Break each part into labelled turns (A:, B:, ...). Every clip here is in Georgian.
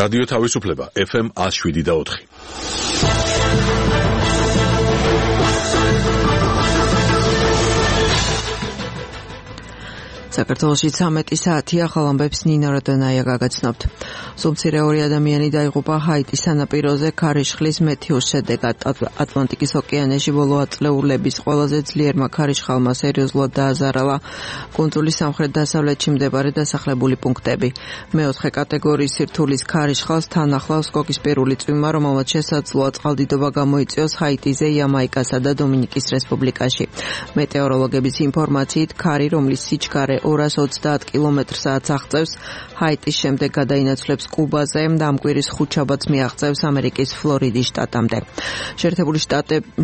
A: რადიო თავისუფლება FM 107.4.
B: საქართველოში 13 საათი ახალ ამბებს ნინო რადონაია გაგაცნობთ. სულ-მცირე 2 ადამიანი დაიღუპა ჰაიტის სანაპიროზე ქარიშხლის მეთიუს შედეგად. ატლანტიკის ოკეანეში ბოლო ათწლეულების ყველაზე ძლიერმა ქარიშხალმა სერიოზულად დააზარალა კუნძულის სამხრეთ-დასავლეთში მდებარე დასახლებული პუნქტები. მეოთხე კატეგორიის სირთულის ქარიშხალს თან ახლავს კოკისპირული წვიმა, რომელმაც შესაძლოა წყალდიდობა გამოიწვიოს ჰაიტიზე, იამაიკასა და დომინიკის რესპუბლიკაში. მეტეოროლოგების ინფორმაციით, ქარი, რომლის სიჩქარე 230 კმ/სთ აღწევს, ჰაიტის შემდეგ გადაინაცვლებს კუბაზე და ამ კვირის ხუთშაბათს მიაღწევს ამერიკის ფლორიდის შტატამდე.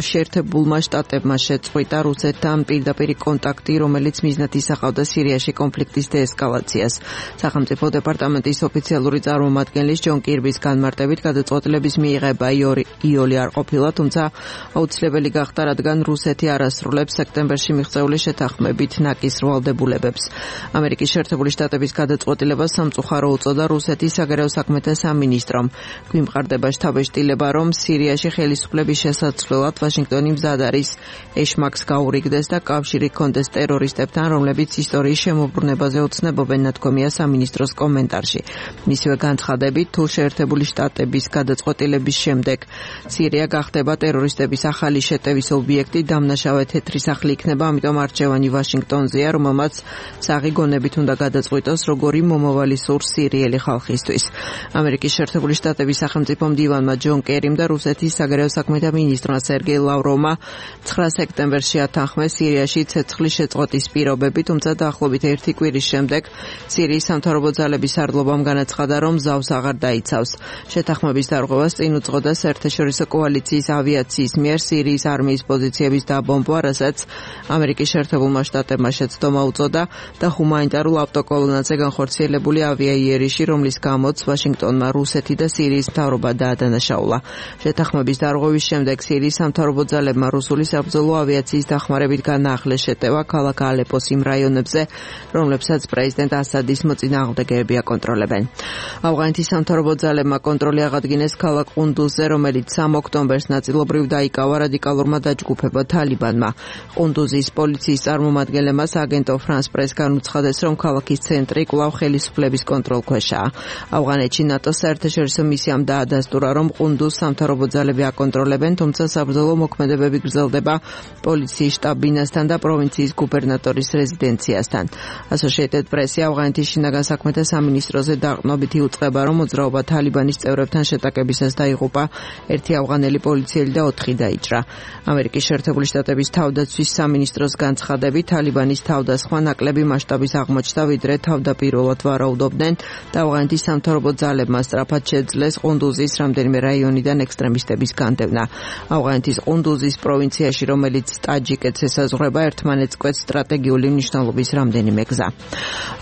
B: შეერთებულმა შტატებმა შეწყვიტა რუსეთთან პირდაპირ კონტაქტი, რომელიც მიზნად ისახავდა სირიაში კონფლიქტის დეესკალაციას. სახელმწიფო დეპარტამენტის ოფიციალური წარმომადგენლის ჯონ კირბის განმარტებით გადაწყვეტილების მიღება იოლი არ ყოფილა, თუმცა აუცილებელი გახდა, რადგან რუსეთი არ ასრულებს სექტემბერში მიღწეული შეთანხმებით ნაკის ვალდებულებებს. ამერიკის შეერთებული შტატების გადაწყვეტილებას სამწუხარო უწოდა რუსეთის საგარეო საქმეთა სამინისტრომ. გვიმყარდება შთაბეჭდილება, რომ სირიაში ხელისუფლების შესაცვლელად ვაშინგტონი მზად არის ეშმაკს გაურიგდეს და კავშირი ჰქონდეს ტერორისტებთან, რომლებიც ისტორიის შემოbrunებაზე ოცნებობენ, ნათქვამია სამინისტროს კომენტარში. მისივე განცხადებით, თუ შეერთებული შტატების გადაწყვეტილების შემდეგ სირია გახდება ტერორისტების ახალი შეტევის ობიექტი, დამნაშავე თეთრი სახლი იქნება, ამიტომ არჩევანი ვაშინგტონზეა, რომელმაც საღი გონებით უნდა გადაწყვიტოს, როგორი მომავალი სურს სირიელი ხალხისთვის. ამერიკის შეერთებული შტატების სახელმწიფო მდივანმა ჯონ კერიმ და რუსეთის საგარეო საქმეთა მინისტრმა სერგეი ლავროვმა 9 სექტემბერში ათანხმეს სირიაში ცეცხლის შეწყვეტის პირობები, თუმცა დაახლოებით 1 კვირის შემდეგ სირიის სამთავრობო ძალების სარდლობამ განაცხადა, რომ ზავს აღარ დაიცავს. შეთანხმების დარღვევას წინ უძღოდა საერთაშორისო კოალიციის ავიაციის მიერ სირიის არმიის პოზიციების დაბომბვა, რასაც ამერიკის შეერთებულმა შტატებმა შეცდომა უწოდა და ჰუმანიტარულ ავტოკოლონაზე განხორციელებული ავიაიერიში, რომლის გამოც ვაშინგტონმა რუსეთი და სირიის მთავრობა დაადანაშაულა. შეთანხმების დარღვევის შემდეგ სირიის სამთავრობო ძალებმა რუსული საბრძოლო ავიაციის დახმარებით განაახლეს შეტევა ქალაქ ალეპოს იმ რაიონებზე, რომლებსაც პრეზიდენტ ასადის მოწინააღმდეგეები აკონტროლებენ. ავღანეთის სამთავრობო ძალებმა კონტროლი აღადგინეს ქალაქ ყუნდუზზე, რომელიც 3 ოქტომბერს ნაწილობრივ დაიკავა რადიკალურმა დაჯგუფებამ თალიბანმა. ყუნდუზის პოლიციის წარმომადგენლებმა აგენტო ფრანს პრეს განუცხადეს, რომ ქალაქის ცენტრი კვლავ ხელისუფლების კონტროლქვეშაა. ავღანეთში ნატოს საერთაშორისო მისიამ დაადასტურა, რომ ყუნდუზს სამთავრობო ძალები აკონტროლებენ, თუმცა საბრძოლო მოქმედებები გრძელდება პოლიციის შტაბ-ბინასთან და პროვინციის გუბერნატორის რეზიდენციასთან. Associated Press-ი ავღანეთის შინაგან საქმეთა სამინისტროზე დაყრდნობით იუწყება, რომ მოძრაობა თალიბანის წევრებთან შეტაკებისას დაიღუპა 1 ავღანელი პოლიციელი და 4 დაიჭრა. ამერიკის შეერთებული შტატების თავდაცვის სამინისტროს განცხადებით, თალიბანის თავდასხმა ნაკლები მასშტაბის აღმოჩნდა, ვიდრე თავდაპირველად ვარაუდობდნენ და ავღანეთის სამთავრობო ძალებმა სწრაფად შეძლეს ყუნდუზის რამდენიმე რაიონიდან ექსტრემისტების განდევნა. ავღანეთის ყუნდუზის პროვინციაში, რომელიც ტაჯიკეთს ესაზღვრება, ერთმანეთს კვეთს სტრატეგიული მნიშვნელობის რამდენიმე გზა.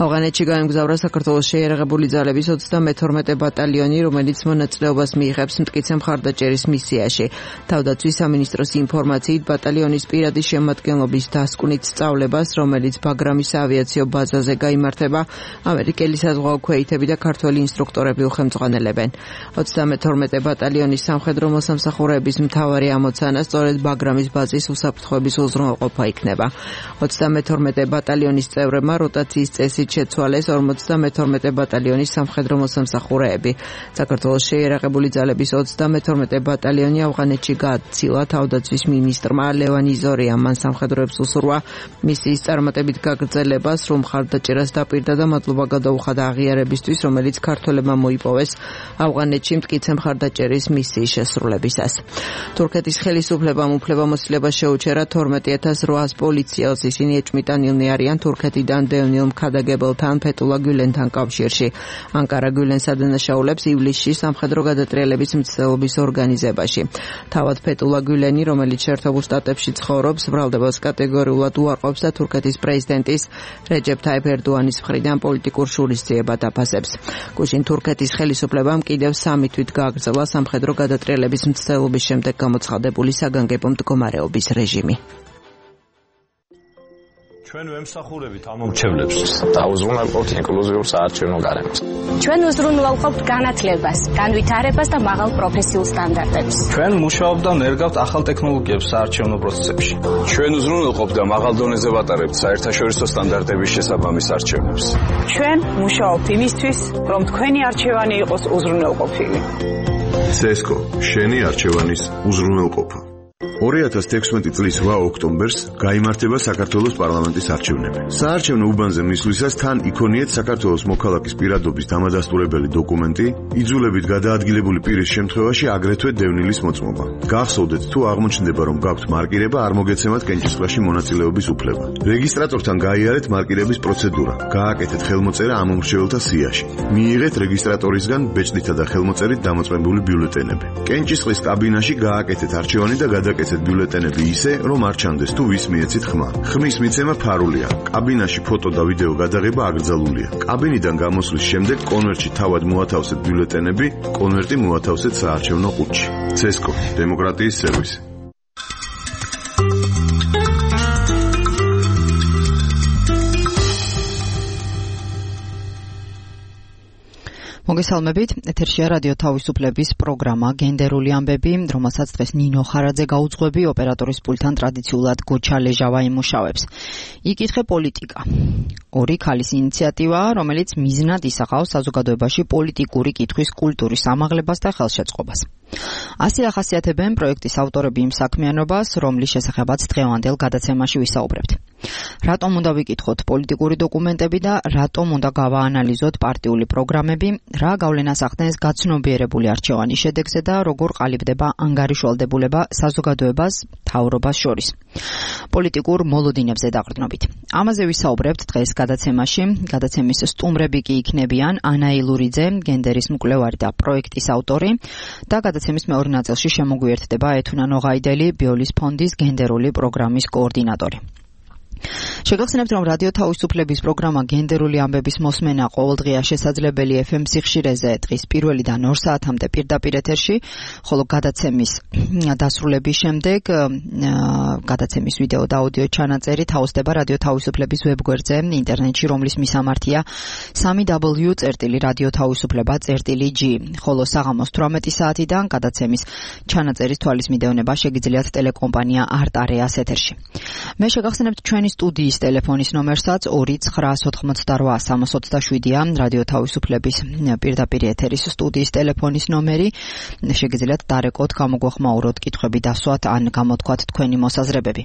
B: ავღანეთში გაემგზავრა საქართველოს შეიარაღებული ძალების 32 ბატალიონი, რომელიც მონაწილეობას მიიღებს მტკიცე მხარდაჭერის მისიაში. თავდაცვის სამინისტროს ინფორმაციით, ბატალიონის პირადი შემადგენლობის დასკვნით სწავლებას, რომელიც ბაგრამის ავიაციო ბაზაზე გაიმართება, ამერიკელი საზღვაო ქვეითები და ქართველი ინსტრუქტორები უხელმძღვანელებენ. 32 ბატალიონის სამხედრო მოსამსახურეების მთავარი ამოცანა სწორედ ბაგრამის ბაზის უსაფრთხოების უზრუნველყოფა იქნება. 32 ბატალიონის წევრებმა როტაციის წესით შეცვალეს 52 ბატალიონის სამხედრო მოსამსახურეები. საქართველოს შეიარაღებული ძალების 32 ბატალიონი ავღანეთში გააცილა. თავდაცვის მინისტრმა ლევან იზორიამ მან სამხედროებს უსურვა მისიის წარმატებით გაგრძელება, სრულ მხარდაჭერას დაპირდა და მადლობა გადაუხადა აღიარებისთვის, რომელიც ქართველებმა მოიპოვეს ავღანეთში მტკიცე მხარდაჭერის მისიის შესრულებისას. თურქეთის ხელისუფლებამ უფლებამოსილება შეუჩერა 12800 პოლიციელს. ისინი ეჭვმიტანილნი არიან თურქეთიდან დევნილ მქადაგებელთან ფეტულა გულენთან კავშირში. ანკარა გულენს ადანაშაულებს ივლისში სამხედრო გადატრიალების მცდელობის ორგანიზებაში. თავად ფეტულა გულენი, რომელიც შეერთებულ შტატებში ცხოვრობს, ბრალდებას კატეგორიულად უარყოფს და თურქეთის პრეზიდენტის რეჯეფ თაიფ ერდოანის მხრიდან პოლიტიკურ შურისძიებად აფასებს. გუშინ თურქეთის ხელისუფლებამ კიდევ 3 თვით გააგრძელა სამხედრო გადატრიალების მცდელობის შემდეგ გამოცხადებული საგანგებო მდგომარეობის რეჟიმი.
C: ჩვენ ვემსახურებით ამომრჩევლებს.
D: დავუზრუნველყოფთ ინკლუზიურ საარჩევნო გარემოს.
E: ჩვენ უზრუნველყოფთ განათლებას, განვითარებას და მაღალ პროფესიულ სტანდარტებს.
F: ჩვენ მუშაობთ და ნერგავთ ახალ ტექნოლოგიებს საარჩევნო პროცესებში.
G: ჩვენ უზრუნველყოფთ და მაღალ დონეზე ვატარებთ საერთაშორისო სტანდარტების შესაბამის არჩევნებს.
H: ჩვენ მუშაობთ იმისთვის, რომ თქვენი არჩევანი იყოს უზრუნველყოფილი.
I: CESCO, შენი არჩევანის უზრუნველყოფა. 2016 წლის 8 ოქტომბერს გაიმართება საქართველოს პარლამენტის არჩევნები. საარჩევნო უბანზე მისვლისას თან იქონიეთ საქართველოს მოქალაქის პირადობის დამადასტურებელი დოკუმენტი, იძულებით გადაადგილებული პირის შემთხვევაში აგრეთვე დევნილის მოწმობა. გახსოვდეთ, თუ აღმოჩნდება, რომ გაქვთ მარკირება, არ მოგეცემათ კენჭისყრაში მონაწილეობის უფლება. რეგისტრატორთან გაიარეთ მარკირების პროცედურა, გააკეთეთ ხელმოწერა ამომრჩეველთა სიაში. მიიღეთ რეგისტრატორისგან ბეჭდითა და ხელმოწერით დამოწმებული ბიულეტენები. კენჭისყრის კაბინაში გააკეთეთ არჩევანი და გადაკეთეთ ბიულეტენები ისე, რომ არ ჩანდეს თუ ვის მიეცით ხმა. ხმის მიცემა ფარულია. კაბინაში ფოტო და ვიდეო გადაღება აკრძალულია. კაბინიდან გამოსვლის შემდეგ კონვერტში თავად მოათავსეთ ბიულეტენები, კონვერტი მოათავსეთ საარჩევნო ყუთში. CESCO, დემოკრატიის სერვისი.
B: მოგესალმებით, ეთერშია რადიო თავისუფლების პროგრამა გენდერული ამბები, რომელსაც დღეს ნინო ხარაძე გაუძღვები, ოპერატორის პულტთან ტრადიციულად გოჩა ლეჟავა იმუშავებს. იკითხე პოლიტიკა. ორი ქალის ინიციატივა, რომელიც მიზნად ისახავს საზოგადოებაში პოლიტიკური კითხვის კულტურის ამაღლებას და ხელშეწყობას. ასე ახასიათებენ პროექტის ავტორები იმ საქმიანობას, რომლის შესახებაც დღევანდელ გადაცემაში ვისაუბრებთ. რატომ უნდა ვიკითხოთ პოლიტიკური დოკუმენტები და რატომ უნდა გავაანალიზოთ პარტიული პროგრამები, რა გავლენას ახდენს გაცნობიერებული არჩევანის შედეგზე და როგორ ყალიბდება ანგარიშვალდებულება საზოგადოებას მთავრობას შორის. პოლიტიკურ მოლოდინებზე დაყრდნობით. ამაზე ვისაუბრებთ დღეს გადაცემაში. გადაცემის სტუმრები კი იქნებიან ანა ილურიძე, გენდერის მკვლევარი და პროექტის ავტორი და გადაცემის მეორე ნაწილში შემოგვიერთდება ეთუნა ნოღაიდელი, ბიოლის ფონდის გენდერული პროგრამის კოორდინატორი. შეგახსენებთ, რომ რადიო თავისუფლების პროგრამა გენდერული ამბების მოსმენა ყოველდღია შესაძლებელი FM სიხშირეზე დღის 1-დან 2 საათამდე პირდაპირ ეთერში, ხოლო გადაცემის დასრულების შემდეგ გადაცემის ვიდეო და აუდიო ჩანაწერი თავსდება რადიო თავისუფლების ვებგვერდზე ინტერნეტში, რომლის მისამართია www.radiotavisufleba.g, ხოლო საღამოს 18 საათიდან გადაცემის ჩანაწერის თვალის მიდევნება შეგიძლიათ ტელეკომპანია არტ-არეას ეთერში. მე შეგახსენებთ ჩვენი სტუდიის ტელეფონის ნომერსაც 2988327-ია, რადიო თავისუფლების პირდაპირ ეთერის სტუდიის ტელეფონის ნომერი. შეგიძლიათ დარეკოთ, გამოგვეხმაუროთ, კითხვები დასვათ ან გამოთქვათ თქვენი მოსაზრებები.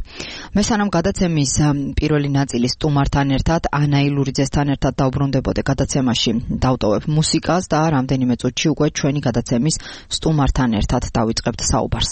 B: მე სანამ გადაცემის პირველი ნაწილის სტუმართან ერთად, ანა ილურიძესთან ერთად დავბრუნდებოდე გადაცემაში, დავტოვებ მუსიკას და რამდენიმე წუთში უკვე ჩვენი გადაცემის სტუმართან ერთად დავიწყებთ საუბარს.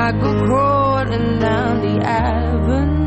J: I go crawling down the avenue.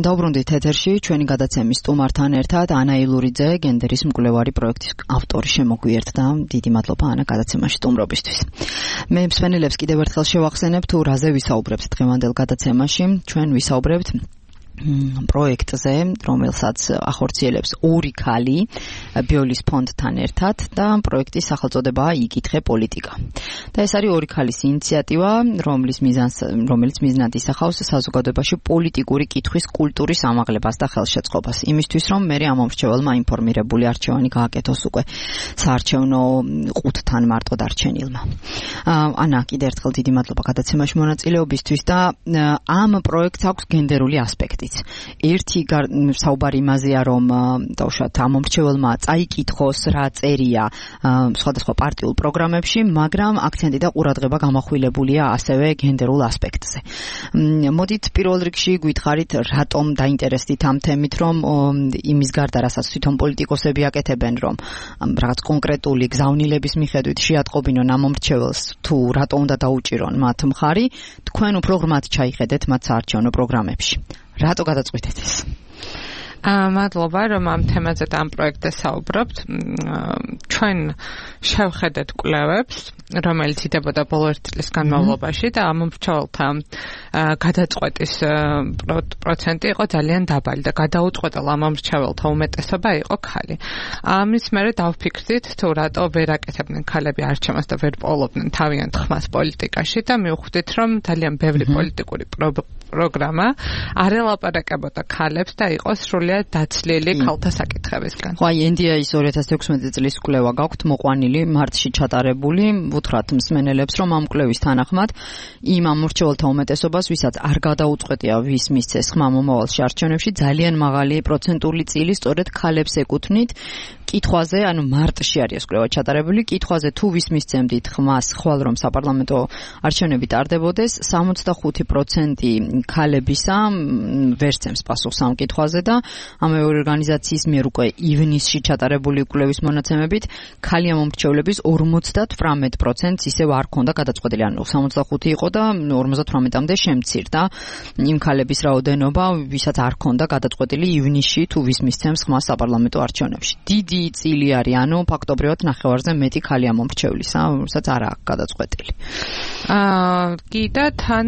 J: დავბრუნდით ეთერში ჩვენი გადაცემის სტუმართან ერთად ანა ილურიძე, გენდერის მკვლევარი პროექტის ავტორი შემოგვიერთდა. დიდი მადლობა ანა გადაცემაში სტუმრობისთვის. მე მსმენელებს კიდევ ერთხელ შევახსენებ თუ რაზე ვისაუბრებთ დღევანდელ გადაცემაში. ჩვენ ვისაუბრებთ პროექტზე, რომელსაც ახორციელებს ორი ქალი ბიოლის ფონდთან ერთად და პროექტის სახელწოდებაა იკითხე პოლიტიკა. და ეს არის ორი ქალის ინიციატივა, რომელიც მიზნად ისახავს საზოგადოებაში პოლიტიკური კითხვის კულტურის ამაღლებას და ხელშეწყობას. იმისთვის, რომ მე ამ მომრჩეველმა ინფორმირებული არჩევანი გააკეთოს უკვე საარჩევნო ყუთთან მარტო დარჩენილმა. ანა, კიდევ ერთხელ დიდი მადლობა გადაცემაში მონაწილეობისთვის და ამ პროექტს აქვს გენდერული ასპექტი. ერთი საუბარი იმაზეა, რომ დავუშვათ ამ მომრჩეველმა წაიკითხოს რა წერია სხვადასხვა პარტიულ პროგრამებში, მაგრამ აქცენტი და ყურადღება გამახვილებულია ასევე გენდერულ ასპექტზე. მოდით პირველ რიგში გითხარით, რატომ დაინტერესდით ამ თემით, რომ იმის გარდა, რასაც თვითონ პოლიტიკოსები აკეთებენ, რომ რაღაც კონკრეტული გზავნილების მიხედვით შეატყობინონ ამ მომრჩეველს, თუ რატომ უნდა დაუჭირონ მათ მხარი, თქვენ უფრო ღრმად ჩაიხედეთ მათ საარჩევნო პროგრამებში. რატო გადაწყვიტეთ ეს?
K: მადლობა, რომ ამ თემაზე და ამ პროექტზე საუბრობთ. ჩვენ შევხედეთ კვლევებს, რომელიც იდებოდა ბოლო 1 წლის განმავლობაში და ამ მომრჩეველთა გადაწყვეტის პროცენტი იყო ძალიან დაბალი და გადაუწყვეტელ ამ მომრჩეველთა უმეტესობა იყო ქალი. ამის მერე დავფიქრდით, თუ რატო ვერ აკეთებდნენ ქალები არჩევანს და ვერ პოულობდნენ თავიანთ ხმას პოლიტიკაში და მივხვდით, რომ ძალიან ბევრი პოლიტიკური პროგრამა არ ელაპარაკებოდა ქალებს და იყო სრულიად დაცლილი ქალთა საკითხებისგან.
J: ხო, აი NDI-ის 2016 წლის კვლევა გაქვთ მოყვანილი მარტში ჩატარებული, უთხრათ მსმენელებს, რომ ამ კვლევის თანახმად იმ ამორჩეველთა უმეტესობას, ვისაც არ გადაუწყვეტია ვის მისცეს ხმა მომავალში არჩევნებში, ძალიან მაღალი პროცენტული წილი სწორედ ქალებს ეკუთვნით. კითხვაზე, ანუ მარტში არის კვლევა ჩატარებული, კითხვაზე თუ ვის მისცემდით ხმას ხვალ რომ საპარლამენტო არჩევნები ტარდებოდეს, 65% ქალებისა ვერ სცემს პასუხს ამ კითხვაზე და ამავე ორგანიზაციის მიერ უკვე ივნისში ჩატარებული კვლევის მონაცემებით ქალი ამომრჩევლების 58%-ს ისევ არ ქონდა გადაწყვეტილი, ანუ 65 იყო და 58-მდე შემცირდა იმ ქალების რაოდენობა, ვისაც არ ქონდა გადაწყვეტილი ივნისში თუ ვის მისცემს ხმას საპარლამენტო არჩევნებში. დიდი წილი არის, ანუ ფაქტობრივად ნახევარზე მეტი ქალი ამომრჩევლისა, რომელსაც არ აქვს გადაწყვეტილი.
K: კიდე თან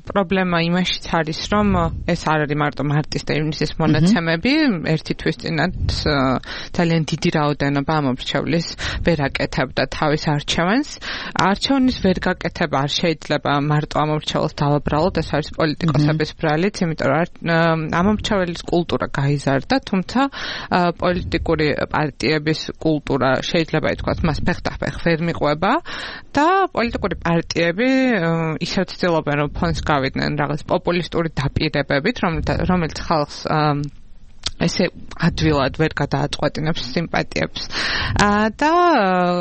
K: პრობლემა იმაშიც არის, რომ ეს არ არის მარტო მარტის და ივნისის მონაცემები, ერთი თვის წინათ ძალიან დიდი რაოდენობა ამომრჩევლის ვერ აკეთებდა თავის არჩევანს. არჩევნის ვერ გაკეთება არ შეიძლება მარტო ამომრჩეველს დავაბრალოთ, ეს არის პოლიტიკოსების ბრალიც, იმიტომ რომ ამომრჩეველის კულტურა გაიზარდა, თუმცა პოლიტიკური პარტიების კულტურა შეიძლება ითქვას, მას ფეხდახფეხ ვერ მიყვება და პოლიტიკური პარტიები ისევ ცდილობენ, რომ ფონს გავიდნენ რაღაც პოპულისტური დაპირებებით, რომელიც ხალხს ესე ადვილად ვერ გადააწყვეტინებს სიმპათიებს და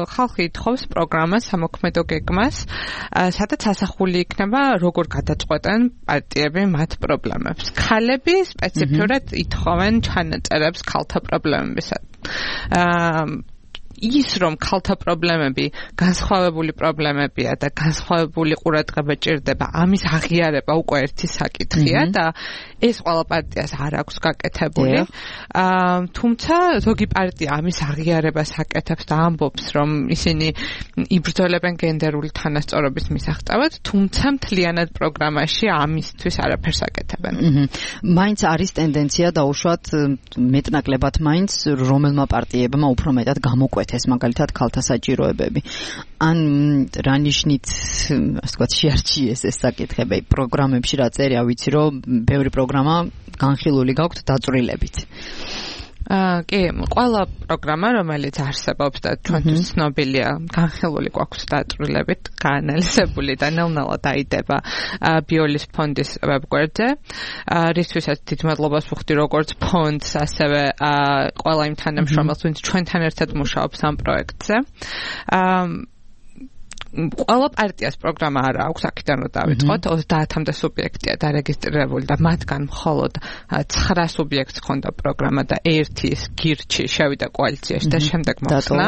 K: ხალხი ითხოვს პროგრამას, სამოქმედო გეგმას, სადაც ასახული იქნება როგორ გადაწყვეტენ პარტიები მათ პრობლემებს. ქალები სპეციფიურად ითხოვენ ჩანაწერებს ქალთა პრობლემებისა. ის რომ ქალთა პრობლემები განსხვავებული პრობლემებია და განსხვავებული ყურადღება ჭირდება, ამის აღიარება უკვე ერთი საკითხია და ეს ყველა პარტიას არ აქვს გაკეთებული. თუმცა ზოგი პარტია ამის აღიარებას აკეთებს და ამბობს, რომ ისინი იბრძოლებენ გენდერული თანასწორობის მისაღწევად, თუმცა მთლიანად პროგრამაში ამისთვის არაფერს აკეთებენ.
J: მაინც არის ტენდენცია დაუშვათ მეტნაკლებად მაინც რომელმა პარტიებმა უფრო მეტად გამოკვეთეს მაგალითად ქალთა საჭიროებები. ან რა ნიშნით, ასე ვთქვათ, შეარჩიეს ეს საკითხები პროგრამებში რა წერია, ვიცი რომ ბევრი პროგრამა განხილული გაქვთ დაწვრილებით.
K: კი, ყველა პროგრამა, რომელიც არსებობს და ჩვენთვის ცნობილია, განხილული გვაქვს დაწვრილებით, გაანალიზებული და ნელ-ნელა დაიდება ბიოლის ფონდის ვებგვერდზე. რისთვისაც დიდ მადლობას ვუხდი როგორც ფონდს, ასევე ყველა იმ თანამშრომელს, ვინც ჩვენთან ერთად მუშაობს ამ პროექტზე. ყველა პარტიას პროგრამა არ აქვს, აქედან რომ დავიწყოთ, 30-მდე სუბიექტია დარეგისტრირებული და მათგან მხოლოდ 9 სუბიექტს ჰქონდა პროგრამა და ერთი გირჩი შევიდა კოალიციაში და შემდეგ მოხსნა.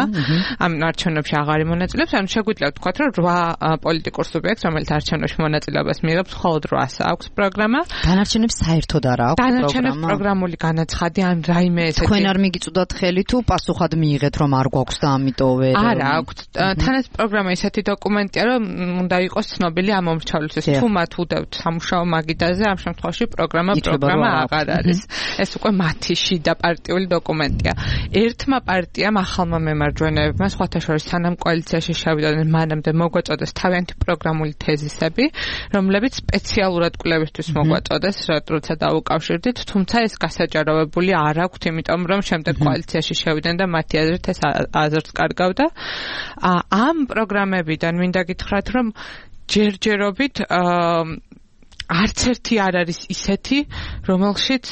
K: ამ არჩევნებში აღარ მონაწილეობს, ანუ შეგვიძლია ვთქვათ, რომ 8 პოლიტიკურ სუბიექტს, რომელიც არჩევნებში მონაწილეობას მიიღებს, მხოლოდ 8-ს აქვს პროგრამა.
J: დანარჩენებს საერთოდ არ აქვს პროგრამა.
K: დანარჩენებს პროგრამული განაცხადი ან რაიმე ესეთი.
J: თქვენ არ მიგიწოდათ ხელი თუ პასუხად მიიღეთ რომ არ გვაქვს და ამიტომ ვერ
K: არა აქვს. თანაც პროგრამა ისეთი დოკუმენტია, რომ უნდა იყოს ცნობილი ამ მომრჩევლისთვის. თუ მათ უდევთ სამუშაო მაგიდაზე, ამ შემთხვევაში პროგრამა აღარ არის. ეს უკვე მათი შიდა პარტიული დოკუმენტია. ერთმა პარტიამ ახალმა მემარჯვენეებმა სხვათა შორის სანამ კოალიციაში შევიდნენ, მანამდე მოგვაწოდეს თავიანთი პროგრამული თეზისები, რომლებიც სპეციალურად კვლევისთვის მოგვაწოდეს, როცა დაუკავშირდით, თუმცა ეს გასაჯაროვებული არ აქვთ, იმიტომ რომ შემდეგ კოალიციაში შევიდნენ და მათი აზრით ეს აზრს კარგავდა. ამ პროგრამებიდან მინდა გითხრათ, რომ ჯერჯერობით არც ერთი არ არის ისეთი, რომელშიც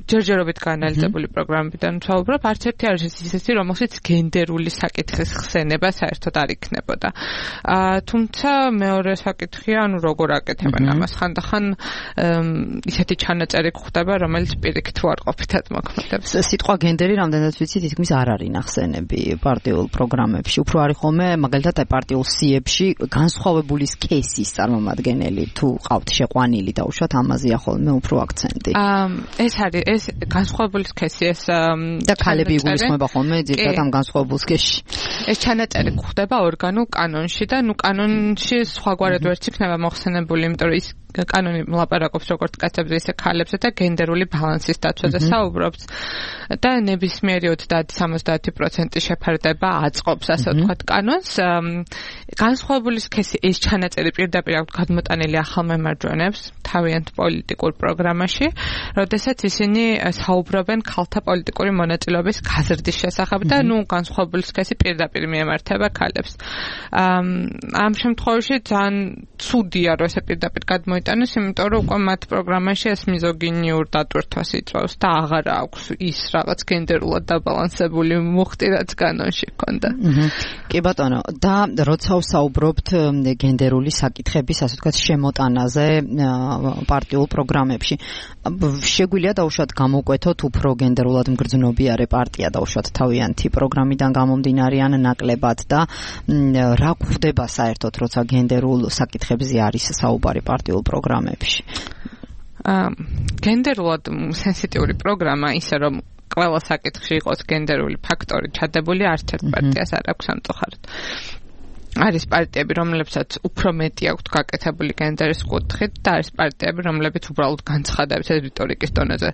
K: ჯერჯერობით განალიზებული პროგრამებიდან ვსაუბრობ, არც ერთი არის ისეთი, რომელშიც გენდერული საკითხის ხსენება საერთოდ არ იქნებოდა. თუმცა მეორე საკითხია, ანუ როგორ აკეთებენ ამას, ხანდახან ისეთი ჩანაწერი გვხდება, რომელიც პირიქით უარყოფითად მოქმედებს.
J: სიტყვა გენდერი რამდენად ვიცი, თითქმის არ არის ნახსენები პარტიულ პროგრამებში. უფრო არის ხოლმე, მაგალითად, პარტიულ სიებში განსხვავებული სქესის წარმომადგენელი თუ ყავთ შეყვანილი დაუშვათ, ამაზეა ხოლმე უფრო აქცენტი.
K: ეს არის ეს განსხვავებული სქესი ეს
J: და ქალები იგულისხმება ხოლმე ძირითადად ამ განსხვავებულ სქესში.
K: ეს ჩანაწერი გვხდება ორგანულ კანონში და კანონში სხვაგვარად ვერც იქნება მოხსენებული, იმიტომ რომ ის კანონი ლაპარაკობს როგორც კაცებზე, ისე ქალებზე და გენდერული ბალანსის დაცვაზე საუბრობს და ნებისმიერი 30-70% შეფარდება აწყობს, ასე ვთქვათ, კანონს. განსხვავებული სქესი ეს ჩანაწერი პირდაპირ აქვს გადმოტანილი ახალ მემარჯვენეებს თავიანთ პოლიტიკურ პროგრამაში, როდესაც ისინი საუბრობენ ქალთა პოლიტიკური მონაწილეობის გაზრდის შესახებ და განსხვავებული სქესი პირდაპირ მიემართება ქალებს. ამ შემთხვევაში ძალიან ცუდია, რომ ესე პირდაპირ გადმოიტანეს, იმიტომ რომ უკვე მათ პროგრამაში ეს მიზოგინიურ დატვირთვას იწვევს და აღარ აქვს ის რაღაც გენდერულად დაბალანსებული მუხტი, რაც კანონში ჰქონდა.
J: კი ბატონო, და როცა ვსაუბრობთ გენდერული საკითხების, ასე ვთქვათ, შემოტანაზე პარტიულ პროგრამებში, შეგვიძლია დაუშვათ გამოვკვეთოთ უფრო გენდერულად მგრძნობიარე პარტია დაუშვათ თავიანთი პროგრამიდან გამომდინარე ან ნაკლებად და რა გვხდება საერთოდ, როცა გენდერულ საკითხებზე არის საუბარი პარტიულ პროგრამებში?
K: გენდერულად სენსიტიური პროგრამა ისე რომ ყველა საკითხში იყოს გენდერული ფაქტორი ჩადებული, არც ერთ პარტიას არ აქვს სამწუხაროდ. არის პარტიები, რომლებსაც უფრო მეტი აქვთ გაკეთებული გენდერის კუთხით და არის პარტიები, რომლებიც უბრალოდ განცხადებს რიტორიკის დონეზე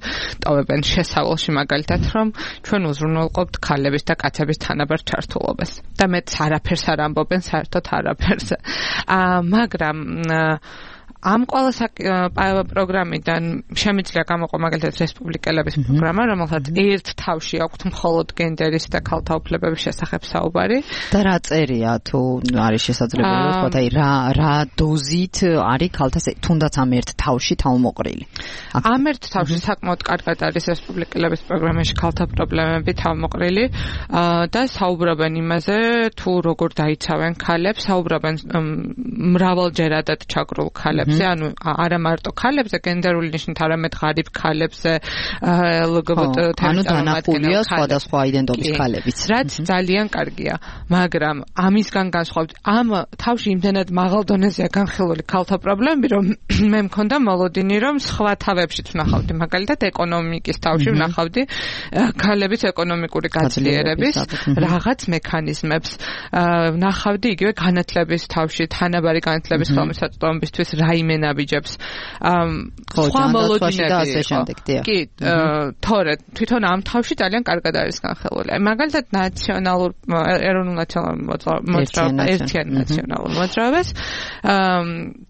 K: ტოვებენ შესავალში, მაგალითად, რომ ჩვენ უზრუნველყოფთ ქალების და კაცების თანაბარ ჩართულობას და მეც არაფერს არ ამბობენ საერთოდ არაფერს. მაგრამ ამ ყველა პროგრამიდან შემიძლია გამოყო მაგალითად რესპუბლიკელების პროგრამა, რომელსაც ერთ თავში აქვთ მხოლოდ გენდერის და ქალთა უფლებების შესახებ საუბარი.
J: და რა წერია თუ არის შესაძლებელი ვთქვათ, აი რა დოზით არის ქალთა თუნდაც ამ ერთ თავში თავმოყრილი.
K: ამ ერთ თავში საკმაოდ კარგად არის რესპუბლიკელების პროგრამაში ქალთა პრობლემები თავმოყრილი და საუბრობენ იმაზე, თუ როგორ დაიცავენ ქალებს, საუბრობენ მრავალჯერადად ჩაგრულ ქალებს. ანუ არა მარტო ქალებზე, გენდერული ნიშნით არამედ ღარიბ ქალებზე, LGBT
J: ანუ დანახულია სხვადასხვა აიდენტობის ქალებიც,
K: რაც ძალიან კარგია, მაგრამ ამისგან განსხვავებით, ამ თავში იმდენად მაღალ დონეზეა განხილული ქალთა პრობლემები, რომ მე მქონდა მოლოდინი, რომ სხვა თავებშიც ვნახავდი, მაგალითად ეკონომიკის თავში ვნახავდი ქალების ეკონომიკური გაძლიერების რაღაც მექანიზმებს, ვნახავდი იგივე განათლების თავში, თანაბარი განათლების ხელმისაწვდომობისთვის რაიმე ნაბიჯებს. სხვა მოლოდინები იყო. კი, თორე თვითონ ამ თავში ძალიან კარგად არის განხილული. მაგალითად ნაციონალურ ეროვნულ ნაციონალურ მოძრაობას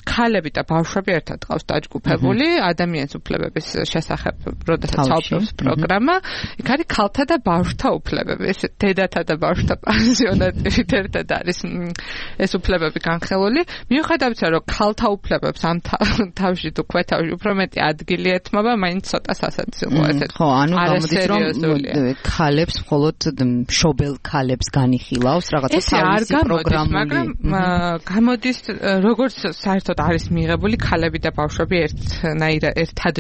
K: ქალები და ბავშვები ერთად ყავს დაჯგუფებული ადამიანის უფლებების შესახებ, როდესაც საუბრობს პროგრამა, იქ არის ქალთა და ბავშვთა უფლებები, დედათა და ბავშვთა პანსიონატებით ერთად არის ეს უფლებები განხილული. მიუხედავად იმისა, რომ ქალთა უფლებებს ამ თავში თუ ქვეთავში უფრო მეტი ადგილი ეთმობა, მაინც ცოტა სასაცილოა ესეთ.
J: ხო, ანუ გამოდის რომ ქალებს მხოლოდ მშობელ ქალებს განიხილავს რაღაცა თავისი პროგრამული.
K: მაგრამ გამოდის როგორც საერთოდ არის მიღებული ქალები და ბავშვები ერთად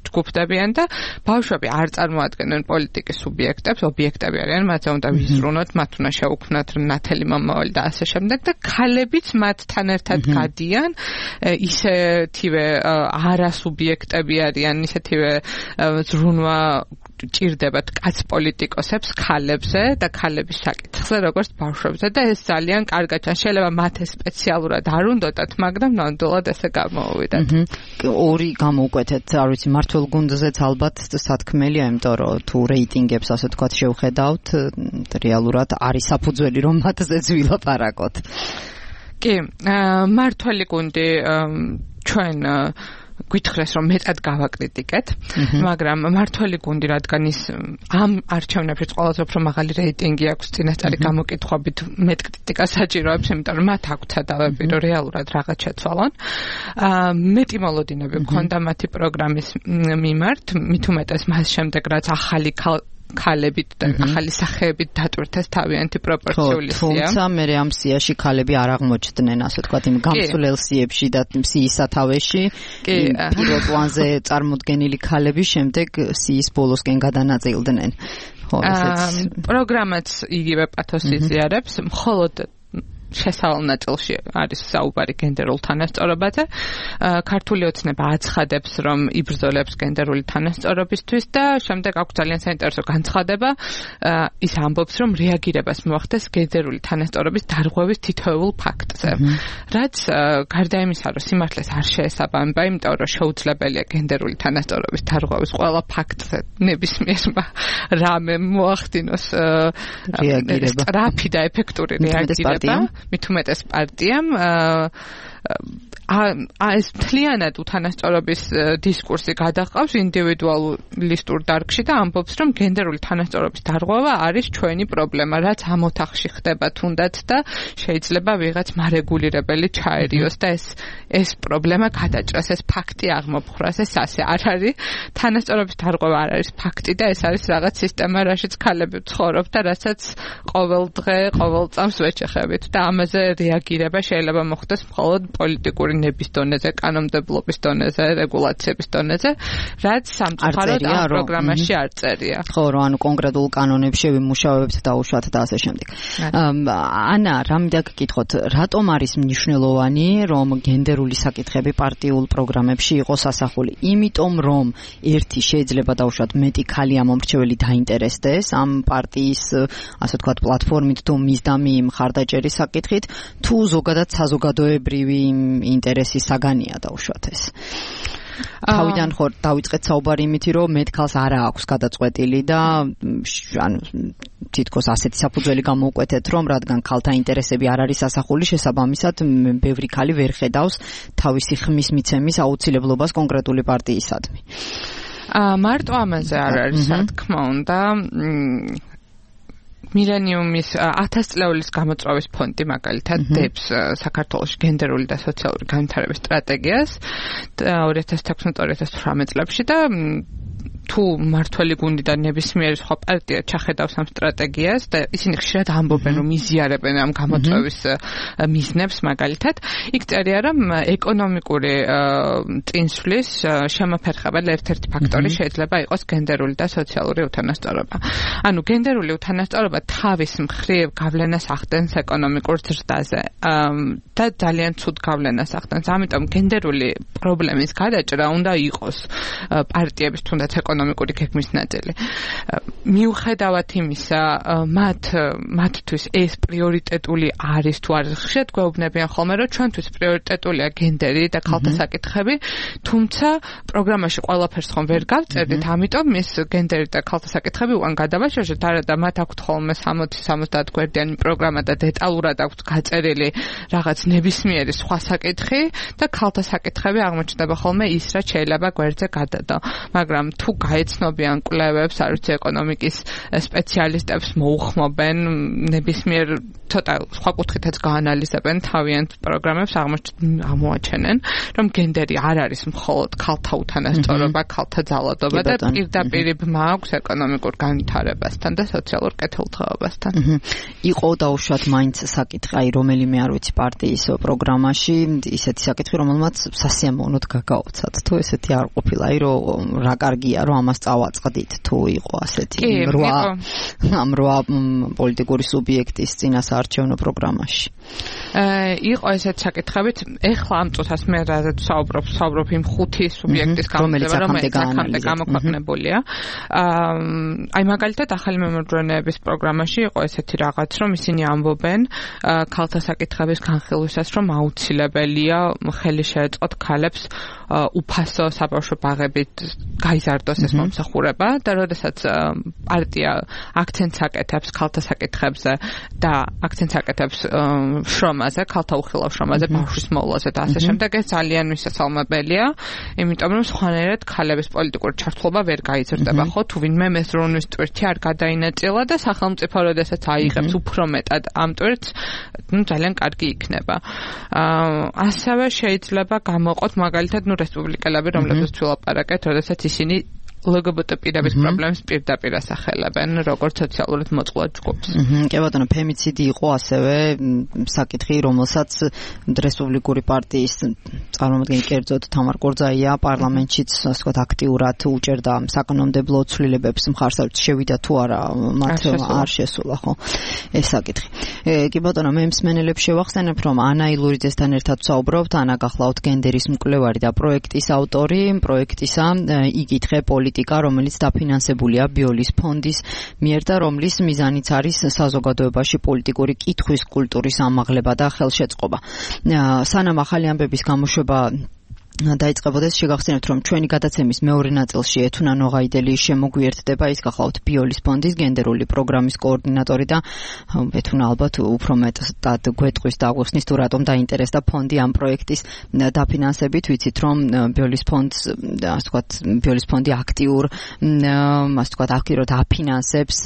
K: ჯგუფდებიან და ბავშვები არ წარმოადგენენ პოლიტიკის სუბიექტებს, ობიექტები არიან, მათ უნდა ვიზრუნოთ, მათ უნდა შეუქმნათ ნათელი მომავალი და ასე შემდეგ და ქალებიც მათთან ერთად გადიან, ისეთივე არასუბიექტები არიან, ისეთივე ზრუნვა ჭირდებათ კაც პოლიტიკოსებს ქალებზე და ქალების საკითხზე, როგორც ბავშვებზე და ეს ძალიან კარგად შეიძლება მათ სპეციალურად არ უნდათ, მაგრამ ნამდვილად ესე გამოუვიდათ.
J: ორი გამოვკვეთეთ, არ ვიცი, მართლ გუნდზეც ალბათ სათქმელია, იმიტომ რომ თუ რეიტინგებს ასე თქვათ შევხედავთ, რეალურად არის საფუძველი რომ მათზეც ვილაპარაკოთ.
K: კი, მართველი გუნდი ჩვენ გითხრეს რომ მეტად გავაკრიტიკეთ, მაგრამ მართველი გუნდი რადგან ის ამ არჩევნებში ყველაზე უფრო მაღალი რეიტინგი აქვს წინასწარი გამოკითხვებით მეტ კრიტიკას საჭიროებს, იმიტომ რომ მათ აქვთ სადავები რომ რეალურად რაღაც შეცვალონ. მეტი მოლოდინები მქონდა მათი პროგრამის მიმართ, მით უმეტეს მას შემდეგ რაც ახალი ქალებით და ახალი სახეებით დატვირთეს თავიანთი პროპორციული სია.
J: თუმცა მე ამ სიაში ქალები არ აღმოჩნდნენ, ასე ვთქვათ, იმ გამსვლელ სიებში და სიის სათავეში. პირველ პლანზე წარმოდგენილი ქალები შემდეგ სიის ბოლოსკენ გადანაწილდნენ. ხო, ესეც
K: პროგრამაც იგივე პათოსს იზიარებს, მხოლოდ შესავალ ნაწილში არის საუბარი გენდერულ თანასწორობაზე. ქართული ოცნება აცხადებს, რომ იბრძოლებს გენდერული თანასწორობისთვის და შემდეგ აქვს ძალიან საინტერესო განცხადება. ის ამბობს, რომ რეაგირებას მოახდეს გენდერული თანასწორობის დარღვევის თითოეულ ფაქტზე. რაც გარდა იმისა, რომ სიმართლეს არ შეესაბამება, იმიტომ რომ შეუძლებელია გენდერული თანასწორობის დარღვევის ყველა ფაქტზე ნებისმიერმა რამე მოახდინოს სწრაფი და ეფექტური რეაგირება. მით უმეტეს პარტიამ ეს მთლიანად უთანასწორობის დისკურსი გადაჰყავს ინდივიდუალისტურ დარგში და ამბობს, რომ გენდერული თანასწორობის დარღვევა არის ჩვენი პრობლემა, რაც ამ ოთახში ხდება თუნდაც და შეიძლება ვიღაც მარეგულირებელი ჩაერიოს და ეს პრობლემა გადაჭრას, ეს ფაქტი აღმოფხვრას, ეს ასე არ არის. თანასწორობის დარღვევა არ არის ფაქტი და ეს არის რაღაც სისტემა, რაშიც ქალები ცხოვრობ და რასაც ყოველ დღე, ყოველ წამს ვეჩეხებით და ამაზე რეაგირება შეიძლება მოხდეს მხოლოდ პოლიტიკური ნების დონეზე, კანონმდებლობის დონეზე, რეგულაციების დონეზე, რაც სამწუხაროდ ამ პროგრამაში არ წერია.
J: ხო, რომ ანუ კონკრეტულ კანონებში ვიმუშავებთ დაუშვათ და ასე შემდეგ. ანა, რამე გკითხოთ, რატომ არის მნიშვნელოვანი, რომ გენდერული საკითხები პარტიულ პროგრამებში იყოს ასახული? იმიტომ, რომ ერთი შეიძლება დაუშვათ მეტი ქალი ამომრჩეველი დაინტერესდეს ამ პარტიის, ასე ვთქვათ, პლატფორმით თუ მისდამი მხარდაჭერის საკითხით, თუ ზოგადად საზოგადოებრივი ინტერესის საგანია დაუშვათ ეს. თავიდან ხო დავიწყეთ საუბარი იმითი, რომ მეტ ქალს არა აქვს გადაწყვეტილი და ანუ თითქოს ასეთი საფუძველი გამოვკვეთეთ, რომ რადგან ქალთა ინტერესები არ არის ასახული, შესაბამისად ბევრი ქალი ვერ ხედავს თავისი ხმის მიცემის აუცილებლობას კონკრეტული პარტიისადმი.
K: მარტო ამაზე არ არის სათქმა უნდა. მილენიუმის 1000 წლეულის გამოწვევის ფონდი მაგალითად დებს საქართველოს გენდერული და სოციალური განვითარების სტრატეგიას 2016-2018 წლებში და თუ მართველი გუნდი და ნებისმიერი სხვა პარტია ჩახედავს ამ სტრატეგიას და ისინი ხშირად ამბობენ, რომ იზიარებენ ამ გამოწვევის მიზნებს მაგალითად, იქ წერია, რომ ეკონომიკური წინსვლის შემოფერხებელი ერთ-ერთი ფაქტორი შეიძლება იყოს გენდერული და სოციალური უთანასწორობა. ანუ გენდერული უთანასწორობა თავის მხრივ გავლენას ახდენს ეკონომიკურ ზრდაზე და ძალიან ცუდ გავლენას ახდენს. ამიტომ გენდერული პრობლემის გადაჭრა უნდა იყოს პარტიების თუნდაც ეკონომიკური გეგმის ნაწილი. მიუხედავად იმისა, მათთვის ეს პრიორიტეტული არის თუ არის, ხშირად გვეუბნებიან ხოლმე, რომ ჩვენთვის პრიორიტეტულია გენდერი და ქალთა საკითხები, თუმცა პროგრამაში ყველაფერს ხომ ვერ გავწერდით, ამიტომ ეს გენდერი და ქალთა საკითხები უკან გადავაშორეთ, არადა მათ აქვთ ხოლმე 60-70 გვერდიანი პროგრამა და დეტალურად აქვთ გაწერილი რაღაც ნებისმიერი სხვა საკითხი და ქალთა საკითხები აღმოჩნდება ხოლმე ის, რაც შეიძლება გვერდზე გადადო. მაგრამ თუ გაეცნობიან კვლევებს, არ ვიცი, ეკონომიკის სპეციალისტებს მოუხმობენ ნებისმიერ ცოტა სხვა კუთხითაც გაანალიზებენ თავიანთ პროგრამებს, აღმოაჩენენ, რომ გენდერი არ არის მხოლოდ ქალთა უთანასწორობა, ქალთა ძალადობა და პირდაპირ ბმა აქვს ეკონომიკურ განვითარებასთან და სოციალურ კეთილდღეობასთან.
J: იყო დაუშვათ მაინც საკითხი, აი რომელიმე არ ვიცი პარტიის პროგრამაში ისეთი საკითხი, რომელმაც სასიამოვნოდ გაგაოცათ, თუ ესეთი არ ყოფილა, აი რომ რა კარგია რომ ამას წავაწყდით, თუ იყო ასეთი რვა პოლიტიკური სუბიექტის წინასაარჩევნო პროგრამაში.
K: იყო ესეთი საკითხებით, ეხლა ამ წუთას მე რაზეც ვსაუბრობ იმ 5 სუბიექტის გამოცემა, რომელიც აქამდე გამოქვეყნებულია. აი მაგალითად ახალი მემორჯენეების პროგრამაში იყო ესეთი რაღაც, რომ ისინი ამბობენ ქალთა საკითხების განხილვისას, რომ აუცილებელია ხელი შეეწყოთ ქალებს უფასო საბავშვო ბაღებით გაიზარდოს ეს მომსახურება და როდესაც პარტია აქცენტს აკეთებს ქალთა საკითხებზე და აქცენტს აკეთებს შრომაზე, ქალთა უხილავ შრომაზე, ბავშვის მოვლაზე და ასე შემდეგ, ეს ძალიან მისასალმებელია, იმიტომ რომ სხვანაირად ქალების პოლიტიკური ჩართულობა ვერ გაიზრდება, ხო? თუ ვინმე მეზრონის ტვირთი არ გადაინაწილა და სახელმწიფო როდესაც აიღებს უფრო მეტად ამ ტვირთს, ძალიან კარგი იქნება. ასევე შეიძლება გამოყოთ მაგალითად რესპუბლიკელები, რომლებსაც ვილაპარაკეთ, როდესაც ისინი LGBT პირების პრობლემებს პირდაპირ ასახელებენ, როგორც სოციალურად მოწყვლად ჯგუფს.
J: კი ბატონო, ფემიციდი იყო ასევე საკითხი, რომელსაც რესპუბლიკური პარტიის წარმომადგენელი კერძოდ თამარ კორძაია პარლამენტშიც, ასე ვთქვათ, აქტიურად უჭერდა საკანონმდებლო ცვლილებებს მხარს, შევიდა თუ არა მათ არ შესულა, ხო? ეს საკითხი. კი ბატონო, მე მსმენელებს შევახსენებ, რომ ანა ილურიძესთან ერთად ვსაუბრობთ, ანა გახლავთ გენდერის მკვლევარი და პროექტის ავტორი, პროექტისა იგითხე რომელიც დაფინანსებულია ბიოლის ფონდის მიერ და რომლის მიზანიც არის საზოგადოებაში პოლიტიკური კითხვის კულტურის ამაღლება და ხელშეწყობა. სანამ ახალი ამბების გამოშვება დაიწყებოდეს, შეგახსენებთ, რომ ჩვენი გადაცემის მეორე ნაწილში ეთუნა ნოღაიდელი შემოგვიერთდება, ის გახლავთ ბიოლის ფონდის გენდერული პროგრამის კოორდინატორი და ეთუნა ალბათ უფრო მეტად გვეტყვის და აღვიხსნის თუ რატომ დაინტერესდა ფონდი ამ პროექტის დაფინანსებით. ვიცით, რომ ბიოლის ფონდს, ასე ვთქვათ, ბიოლის ფონდი აქტიურ, ასე ვთქვათ, აქტიურად აფინანსებს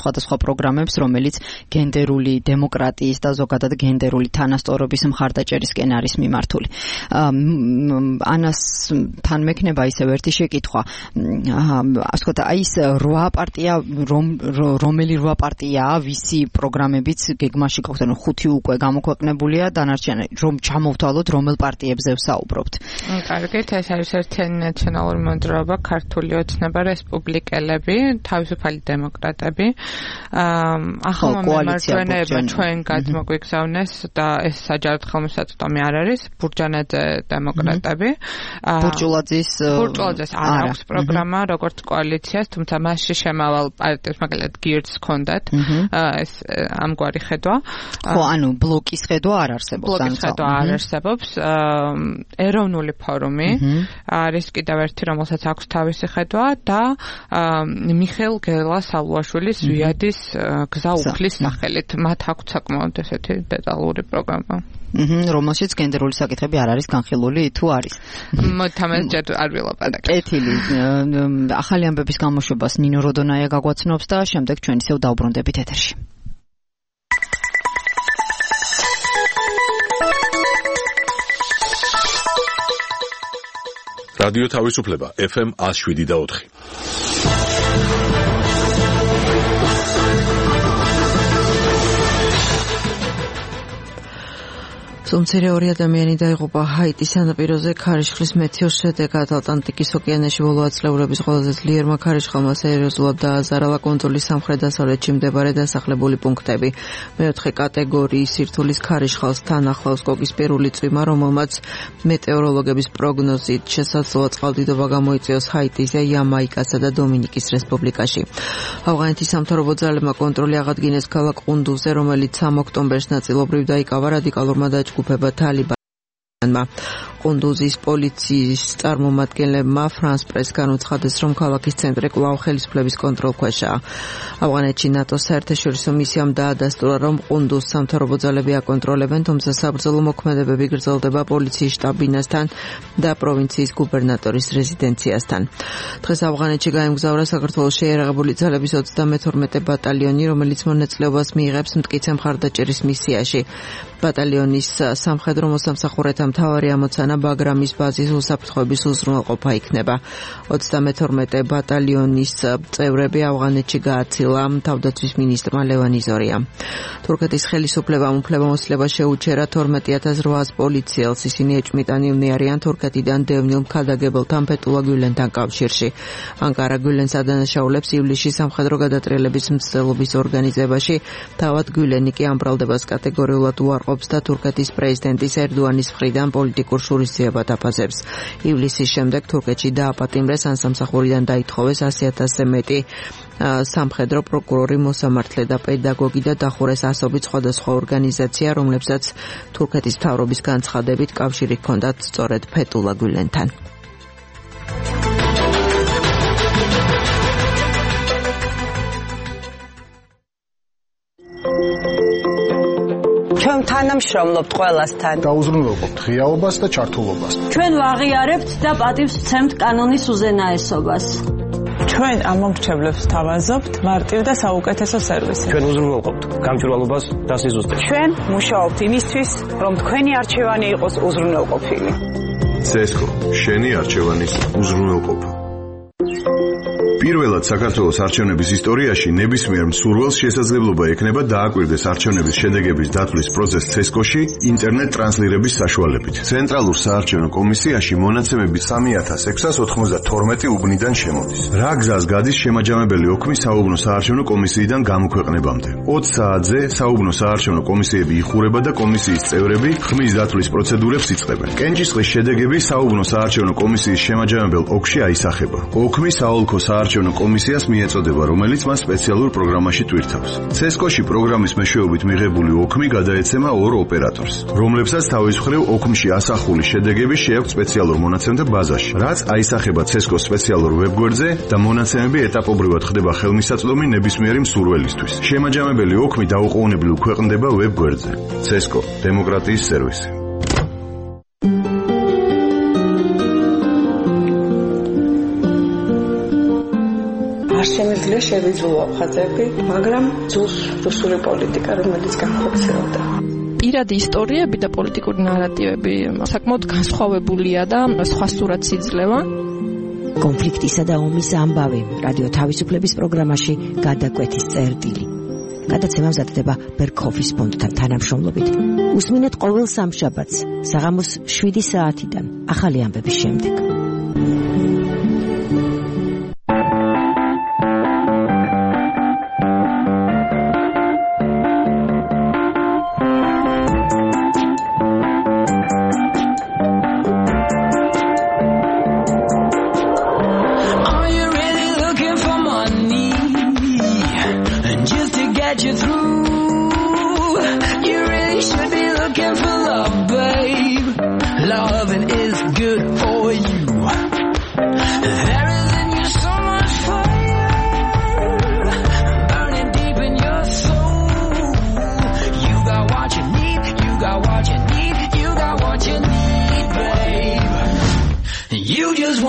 J: სხვადასხვა პროგრამებს, რომელიც გენდერული დემოკრატიის და ზოგადად გენდერული თანასწორობის მხარდაჭერისკენ არის მიმართული. ანასთან მექნება ისევ ერთი შეკითხვა. ასე ვთქვათ, აი ეს 8 პარტია, რომელი 8 პარტიაა, ვისი პროგრამებიც გეგმაში გაქვთ, ანუ 5 უკვე გამოქვეყნებულია, დანარჩენი რომ ჩამოვთვალოთ, რომელ პარტიებზე ვსაუბრობთ.
K: კარგით, ეს არის ერთიანი ნაციონალური მოძრაობა, ქართული ოცნება, რესპუბლიკელები, თავისუფალი დემოკრატები. ახალმა მემარჯვენეებმა ჩვენ გადმოგვიგზავნეს და ეს საჯაროდ ხელმისაწვდომი არ არის, ბურჯანაძე დემოკრატები.
J: ბურჯულაძის
K: არ აქვს პროგრამა როგორც კოალიციას, თუმცა მასში შემავალ პარტიებს მაგალითად გირდს ჰქონდათ ეს ამგვარი ხედვა.
J: ხო, ანუ ბლოკის ხედვა არ არსებობს.
K: ბლოკის ხედვა არ არსებობს. ეროვნული ფორუმი არის კიდევ ერთი, რომელსაც აქვს თავისი ხედვა და მიხეილ გელას-ალუაშვილის ზვიადის გზა უფლის სახელით. მათ აქვს საკმაოდ ესეთი დეტალური პროგრამა.
J: რომელშიც გენდერული საკითხები არ არის განხილული, თუ არის.
K: მოთამეს ჯერ არ ვილაპარაკე.
J: კეთილი. ახალი ამბების გამოშვებას ნინო როდონაია გაგვაცნობს და შემდეგ ჩვენ ისევ დავბრუნდებით ეთერში.
A: რადიო თავისუფლება FM 107.4.
B: სუმცირე 2 ადამიანი დაიღუპა ჰაიტის სანაპიროზე ქარიშხლის მეთიოს შედეგად. ატლანტიკის ოკეანეში ბოლო ათწლეულების ყველაზე ძლიერმა ქარიშხალმა სერიოზულად დააზარალა კუნძულის სამხრეთ-დასავლეთში მდებარე დასახლებული პუნქტები. მეოთხე კატეგორიის სირთულის ქარიშხალს თან ახლავს კოკისპირული წვიმა, რომელმაც მეტეოროლოგების პროგნოზით შესაძლოა წყალდიდობა გამოიწვიოს ჰაიტიზე, იამაიკასა და დომინიკის რესპუბლიკაში. ავღანეთის სამთავრობო ძალებმა კონტროლი აღადგინეს ქალაქ ყუნდუზე, რომელიც 3 ოქტომბერს ნაწილობრივ დაიკავა რადიკალურმა დაჯგუფება თალიბანმა. ყუნდუზის პოლიციის წარმომადგენლებმა ფრანს პრესგან უცხადეს, რომ ქალაქის ცენტრი კვლავ ხელისუფლების კონტროლქვეშაა. ავღანეთში ნატოს საერთაშორისო მისიამ დაადასტურა, რომ ყუნდუზს სამთავრობო ძალები აკონტროლებენ, თუმცა საბრძოლო მოქმედებები გრძელდება პოლიციის შტაბ-ბინასთან და პროვინციის გუბერნატორის რეზიდენციასთან. დღეს ავღანეთში გაემგზავრა საქართველოს შეიარაღებული ძალების 32 ბატალიონი, რომელიც მონაწილეობას მიიღებს მტკიცე მხარდაჭერის მისიაში. ბატალიონის სამხედრო მოსამსახურეთა მთავარი ამოცანა ბაგრამის ბაზის უსაფრთხოების უზრუნველყოფა იქნება. 32 ბატალიონის წევრები ავღანეთში გააცილა თავდაცვის მინისტრმა ლევან იზორიამ. თურქეთის ხელისუფლებამ უფლებამოსილება შეუჩერა 12800 პოლიციელს. ისინი ეჭვმიტანილნი არიან თურქეთიდან დევნილ ქადაგებელთან ფეთულა გულენთან კავშირში. ანკარა გულენს ადანაშაულებს ივლისში სამხედრო გადატრიალების მცდელობის ორგანიზებაში. თავად გულენი კი ამ ბრალდებას კატეგორიულად უარყოფს და თურქეთის პრეზიდენტის ერდოანის მხრიდან პოლიტიკურ შურისძიებად აფასებს. ივლისის შემდეგ თურქეთში დააპატიმრეს ან სამსახურიდან დაითხოვეს 100,000-ზე მეტი სამხედრო პროკურორი, მოსამართლე და პედაგოგი და დახურეს ასობით სხვადასხვა ორგანიზაცია, რომლებსაც თურქეთის მთავრობის განცხადებით კავშირი ჰქონდათ სწორედ ფეთულა გულენთან.
H: ჩვენ თანამშრომლობთ ყველასთან.
L: დაუზრუნველყოფთ ღიაობას და ჩართულობას.
M: ჩვენ ვაღიარებთ და პატივს ვცემთ კანონის უზენაესობას.
H: ჩვენ ამ მომრჩევლებს თავაზობთ მარტივ და საუკეთესო სერვისი.
C: ჩვენ უზრუნველყოფთ გამჭვირვალობას და სიზუსტეს.
H: ჩვენ მუშაობთ იმისთვის, რომ თქვენი არჩევანი იყოს უზრუნველყოფილი.
I: CESCO, შენი არჩევანის უზრუნველყოფა. პირველად საქართველოს არჩევნების ისტორიაში ნებისმიერ მსურველს შესაძლებლობა ექნება დააკვირდეს არჩევნების შედეგების დათვლის პროცესს CESCO-ში ინტერნეტ ტრანსლირების საშუალებით. ცენტრალურ საარჩევნო კომისიაში მონაცემები 3692 უბნიდან შემოდის. რა გზას გადის შემაჯამებელი ოქმი საუბნო საარჩევნო კომისიიდან გამოქვეყნებამდე? 20 საათზე საუბნო საარჩევნო კომისიები იხურება და კომისიის წევრები ხმის დათვლის პროცედურებს იწყებენ. კენჭისყრის შედეგები საუბნო საარჩევნო კომისიის შემაჯამებელ ოლქში აისახება. ოქმი საოლქო საარჩევნო კომისიას მიეწოდება, რომელიც მას სპეციალურ პროგრამაში ტვირთავს. CESCO-ში პროგრამის მეშვეობით მიღებული ოქმი გადაეცემა 2 ოპერატორს, რომლებსაც თავის მხრივ ოქმში ასახული შედეგები შეაქვთ სპეციალურ მონაცემთა ბაზაში, რაც აისახება CESCO-s სპეციალურ ვებგვერდზე და მონაცემები ეტაპობრივად ხდება ხელმისაწვდომი ნებისმიერი მსურველისთვის. შემაჯამებელი ოქმი დაუყოვნებლივ ქვეყნდება ვებგვერდზე. CESCO – დემოკრატიის სერვისი.
N: არ შემიძლია შევიძულო ხაზები, მაგრამ ძულს რუსული პოლიტიკა, რომელიც განხორციელდა.
O: პირადი ისტორიები და პოლიტიკური ნარატივები საკმაოდ განსხვავებულია და სხვა სურათს იძლევა.
P: კონფლიქტისა და ომის ამბავი რადიო თავისუფლების პროგრამაში გადაკვეთის წერტილი. გადაცემა მზადდება ბერქოფის ფონდთან თანამშრომლობით. უსმინეთ ყოველ სამშაბათს საღამოს 7 საათიდან ახალი ამბების შემდეგ.
Q: You just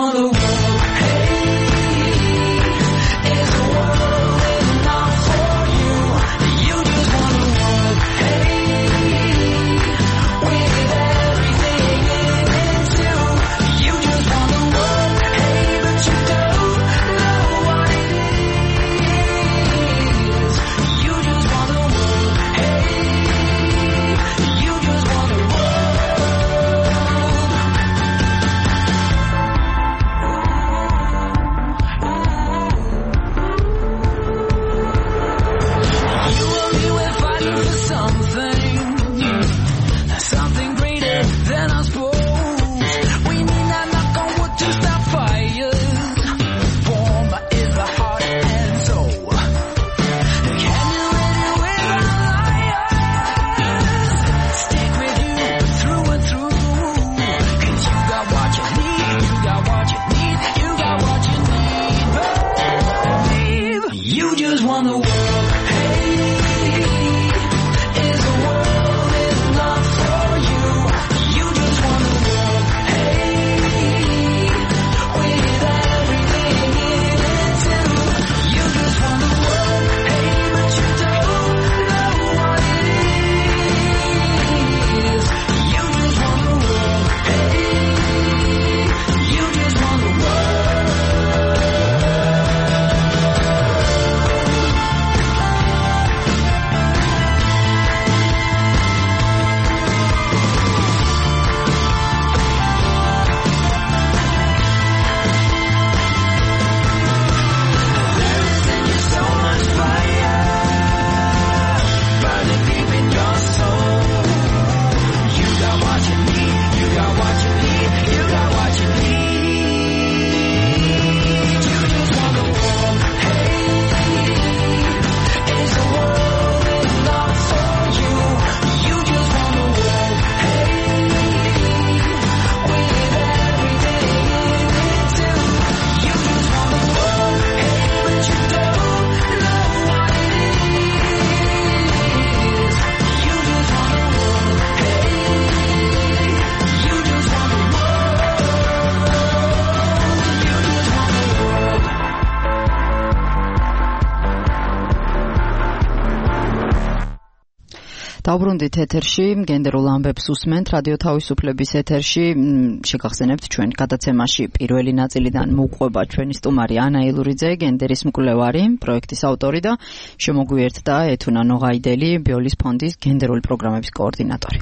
J: დავბრუნდით ეთერში, გენდერულ ამბებს უსმენთ რადიო თავისუფლების ეთერში. შეგახსენებთ ჩვენ გადაცემაში პირველი ნაწილიდან მოუყვება ჩვენი სტუმარი ანა ილურიძე, გენდერის მკვლევარი, პროექტის ავტორი და შემოგვიერთდა ეთუნა ნოღაიდელი, ბიოლის ფონდის გენდერული პროგრამების კოორდინატორი.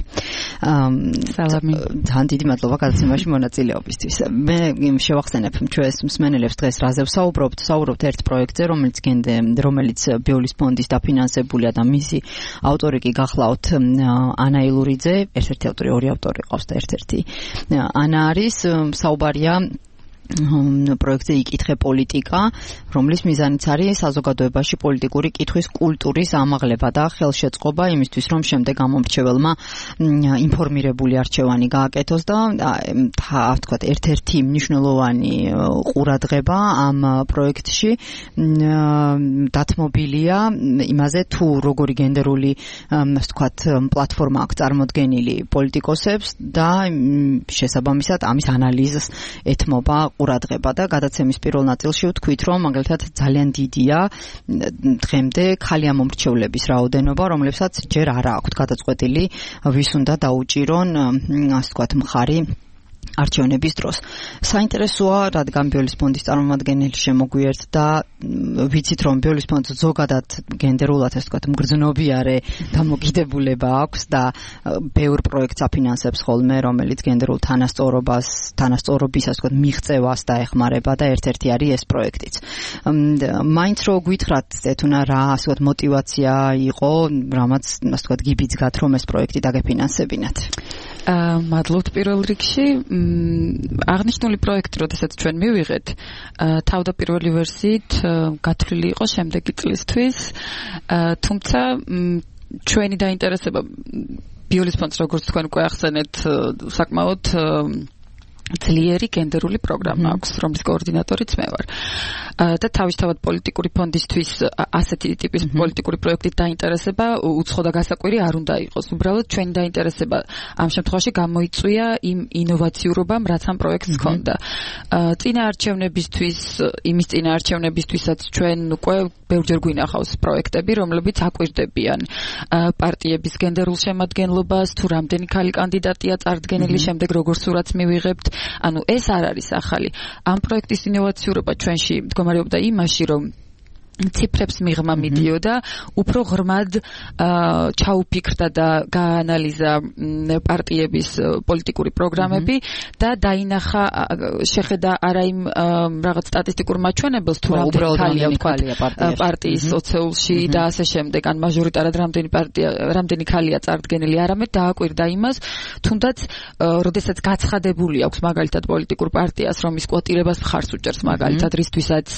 O: სალამი.
J: ძალიან დიდი მადლობა გადაცემაში მონაწილეობისთვის. მე შევახსენებ ჩვენს მსმენელებს დღეს რაზე ვსაუბრობთ ერთ პროექტზე, რომელიც ბიოლის ფონდის დაფინანსებულია და მისი ავტორი კი გახლავთ ანა ილურიძე, ერთ-ერთი ავტორი, ორი ავტორი ყავს და ერთ-ერთი ანა არის. საუბარია პროექტზე იკითხე პოლიტიკა, რომლის მიზანიც არის საზოგადოებაში პოლიტიკური კითხვის კულტურის ამაღლება და ხელშეწყობა იმისთვის, რომ შემდეგ გამომრჩეველმა ინფორმირებული არჩევანი გააკეთოს და თქვათ ერთ-ერთი მნიშვნელოვანი ყურადღება ამ პროექტში დათმობილია იმაზე, თუ როგორი გენდერული თქვათ პლატფორმა აქვს წარმოდგენილი პოლიტიკოსებს და შესაბამისად ამის ანალიზს ეთმობა ყურადღება და გადაცემის პირველ ნაწილში ვთქვით, რომ მაგალითად ძალიან დიდია დღემდე ქალი ამომრჩევლების რაოდენობა, რომლებსაც ჯერ არ აქვთ გადაწყვეტილი ვის უნდა დაუჭირონ, ასე ვთქვათ, მხარი არჩევნების დროს. საინტერესოა, რადგან ბიოლის ფონდის წარმომადგენელი შემოგვიერთ და ვიცით, რომ ბიოლის ფონდს ზოგადად გენდერულად, ასე ვთქვათ, მგრძნობიარე დამოკიდებულება აქვს და ბევრ პროექტს აფინანსებს ხოლმე, რომელიც გენდერულ თანასწორობას, ასე ვთქვათ, მიღწევას დაეხმარება და ერთ-ერთი არის ეს პროექტიც. მაინც რო გითხრათ, ეთუნა, რა, ასე ვთქვათ, мотиваცია იყო, რამაც, ასე ვთქვათ, გიბიძგათ, რომ ეს პროექტი დაგეფინანსებინათ.
O: მადლობთ პირველ რიგში. აღნიშნული პროექტი, როდესაც ჩვენ მივიღეთ, თავდაპირველი ვერსიით გათვლილი იყო შემდეგი წლისთვის, თუმცა ჩვენი დაინტერესება ბიოლის ფონდს, როგორც თქვენ უკვე ახსენეთ, საკმაოდ ძლიერი გენდერული პროგრამა აქვს, რომლის კოორდინატორიც მე ვარ. და თავისთავად პოლიტიკური ფონდისთვის ასეთი ტიპის პოლიტიკური პროექტით დაინტერესება უცხო და გასაკვირი არ უნდა იყოს. უბრალოდ ჩვენი დაინტერესება ამ შემთხვევაში გამოიწვია იმ ინოვაციურობამ, რაც ამ პროექტს ჰქონდა. იმის წინა არჩევნებისთვისაც ჩვენ უკვე ბევრჯერ გვინახავს პროექტები, რომლებიც აკვირდებიან პარტიების გენდერულ შემადგენლობას, თუ რამდენი ქალი კანდიდატია წარდგენილი, შემდეგ როგორ სურათს მივიღებთ. ანუ ეს არ არის ახალი. ამ პროექტის ინოვაციურობა ჩვენში მდგომარეობდა იმაში, რომ ციფრებს მიღმა მიდიოდა, უფრო ღრმად ჩაუფიქრდა და გაანალიზა პარტიების პოლიტიკური პროგრამები და დაინახა, შეხედა არა იმ რაღაც სტატისტიკურ მაჩვენებელს, თუ რამდენი ქალია პარტიის ოცეულში და ასე შემდეგ, ან მაჟორიტარად რამდენი ქალია წარდგენილი, არამედ დააკვირდა იმას, თუნდაც როდესაც გაცხადებული აქვს მაგალითად პოლიტიკურ პარტიას, რომ ის კვოტირებას მხარს უჭერს მაგალითად, რისთვისაც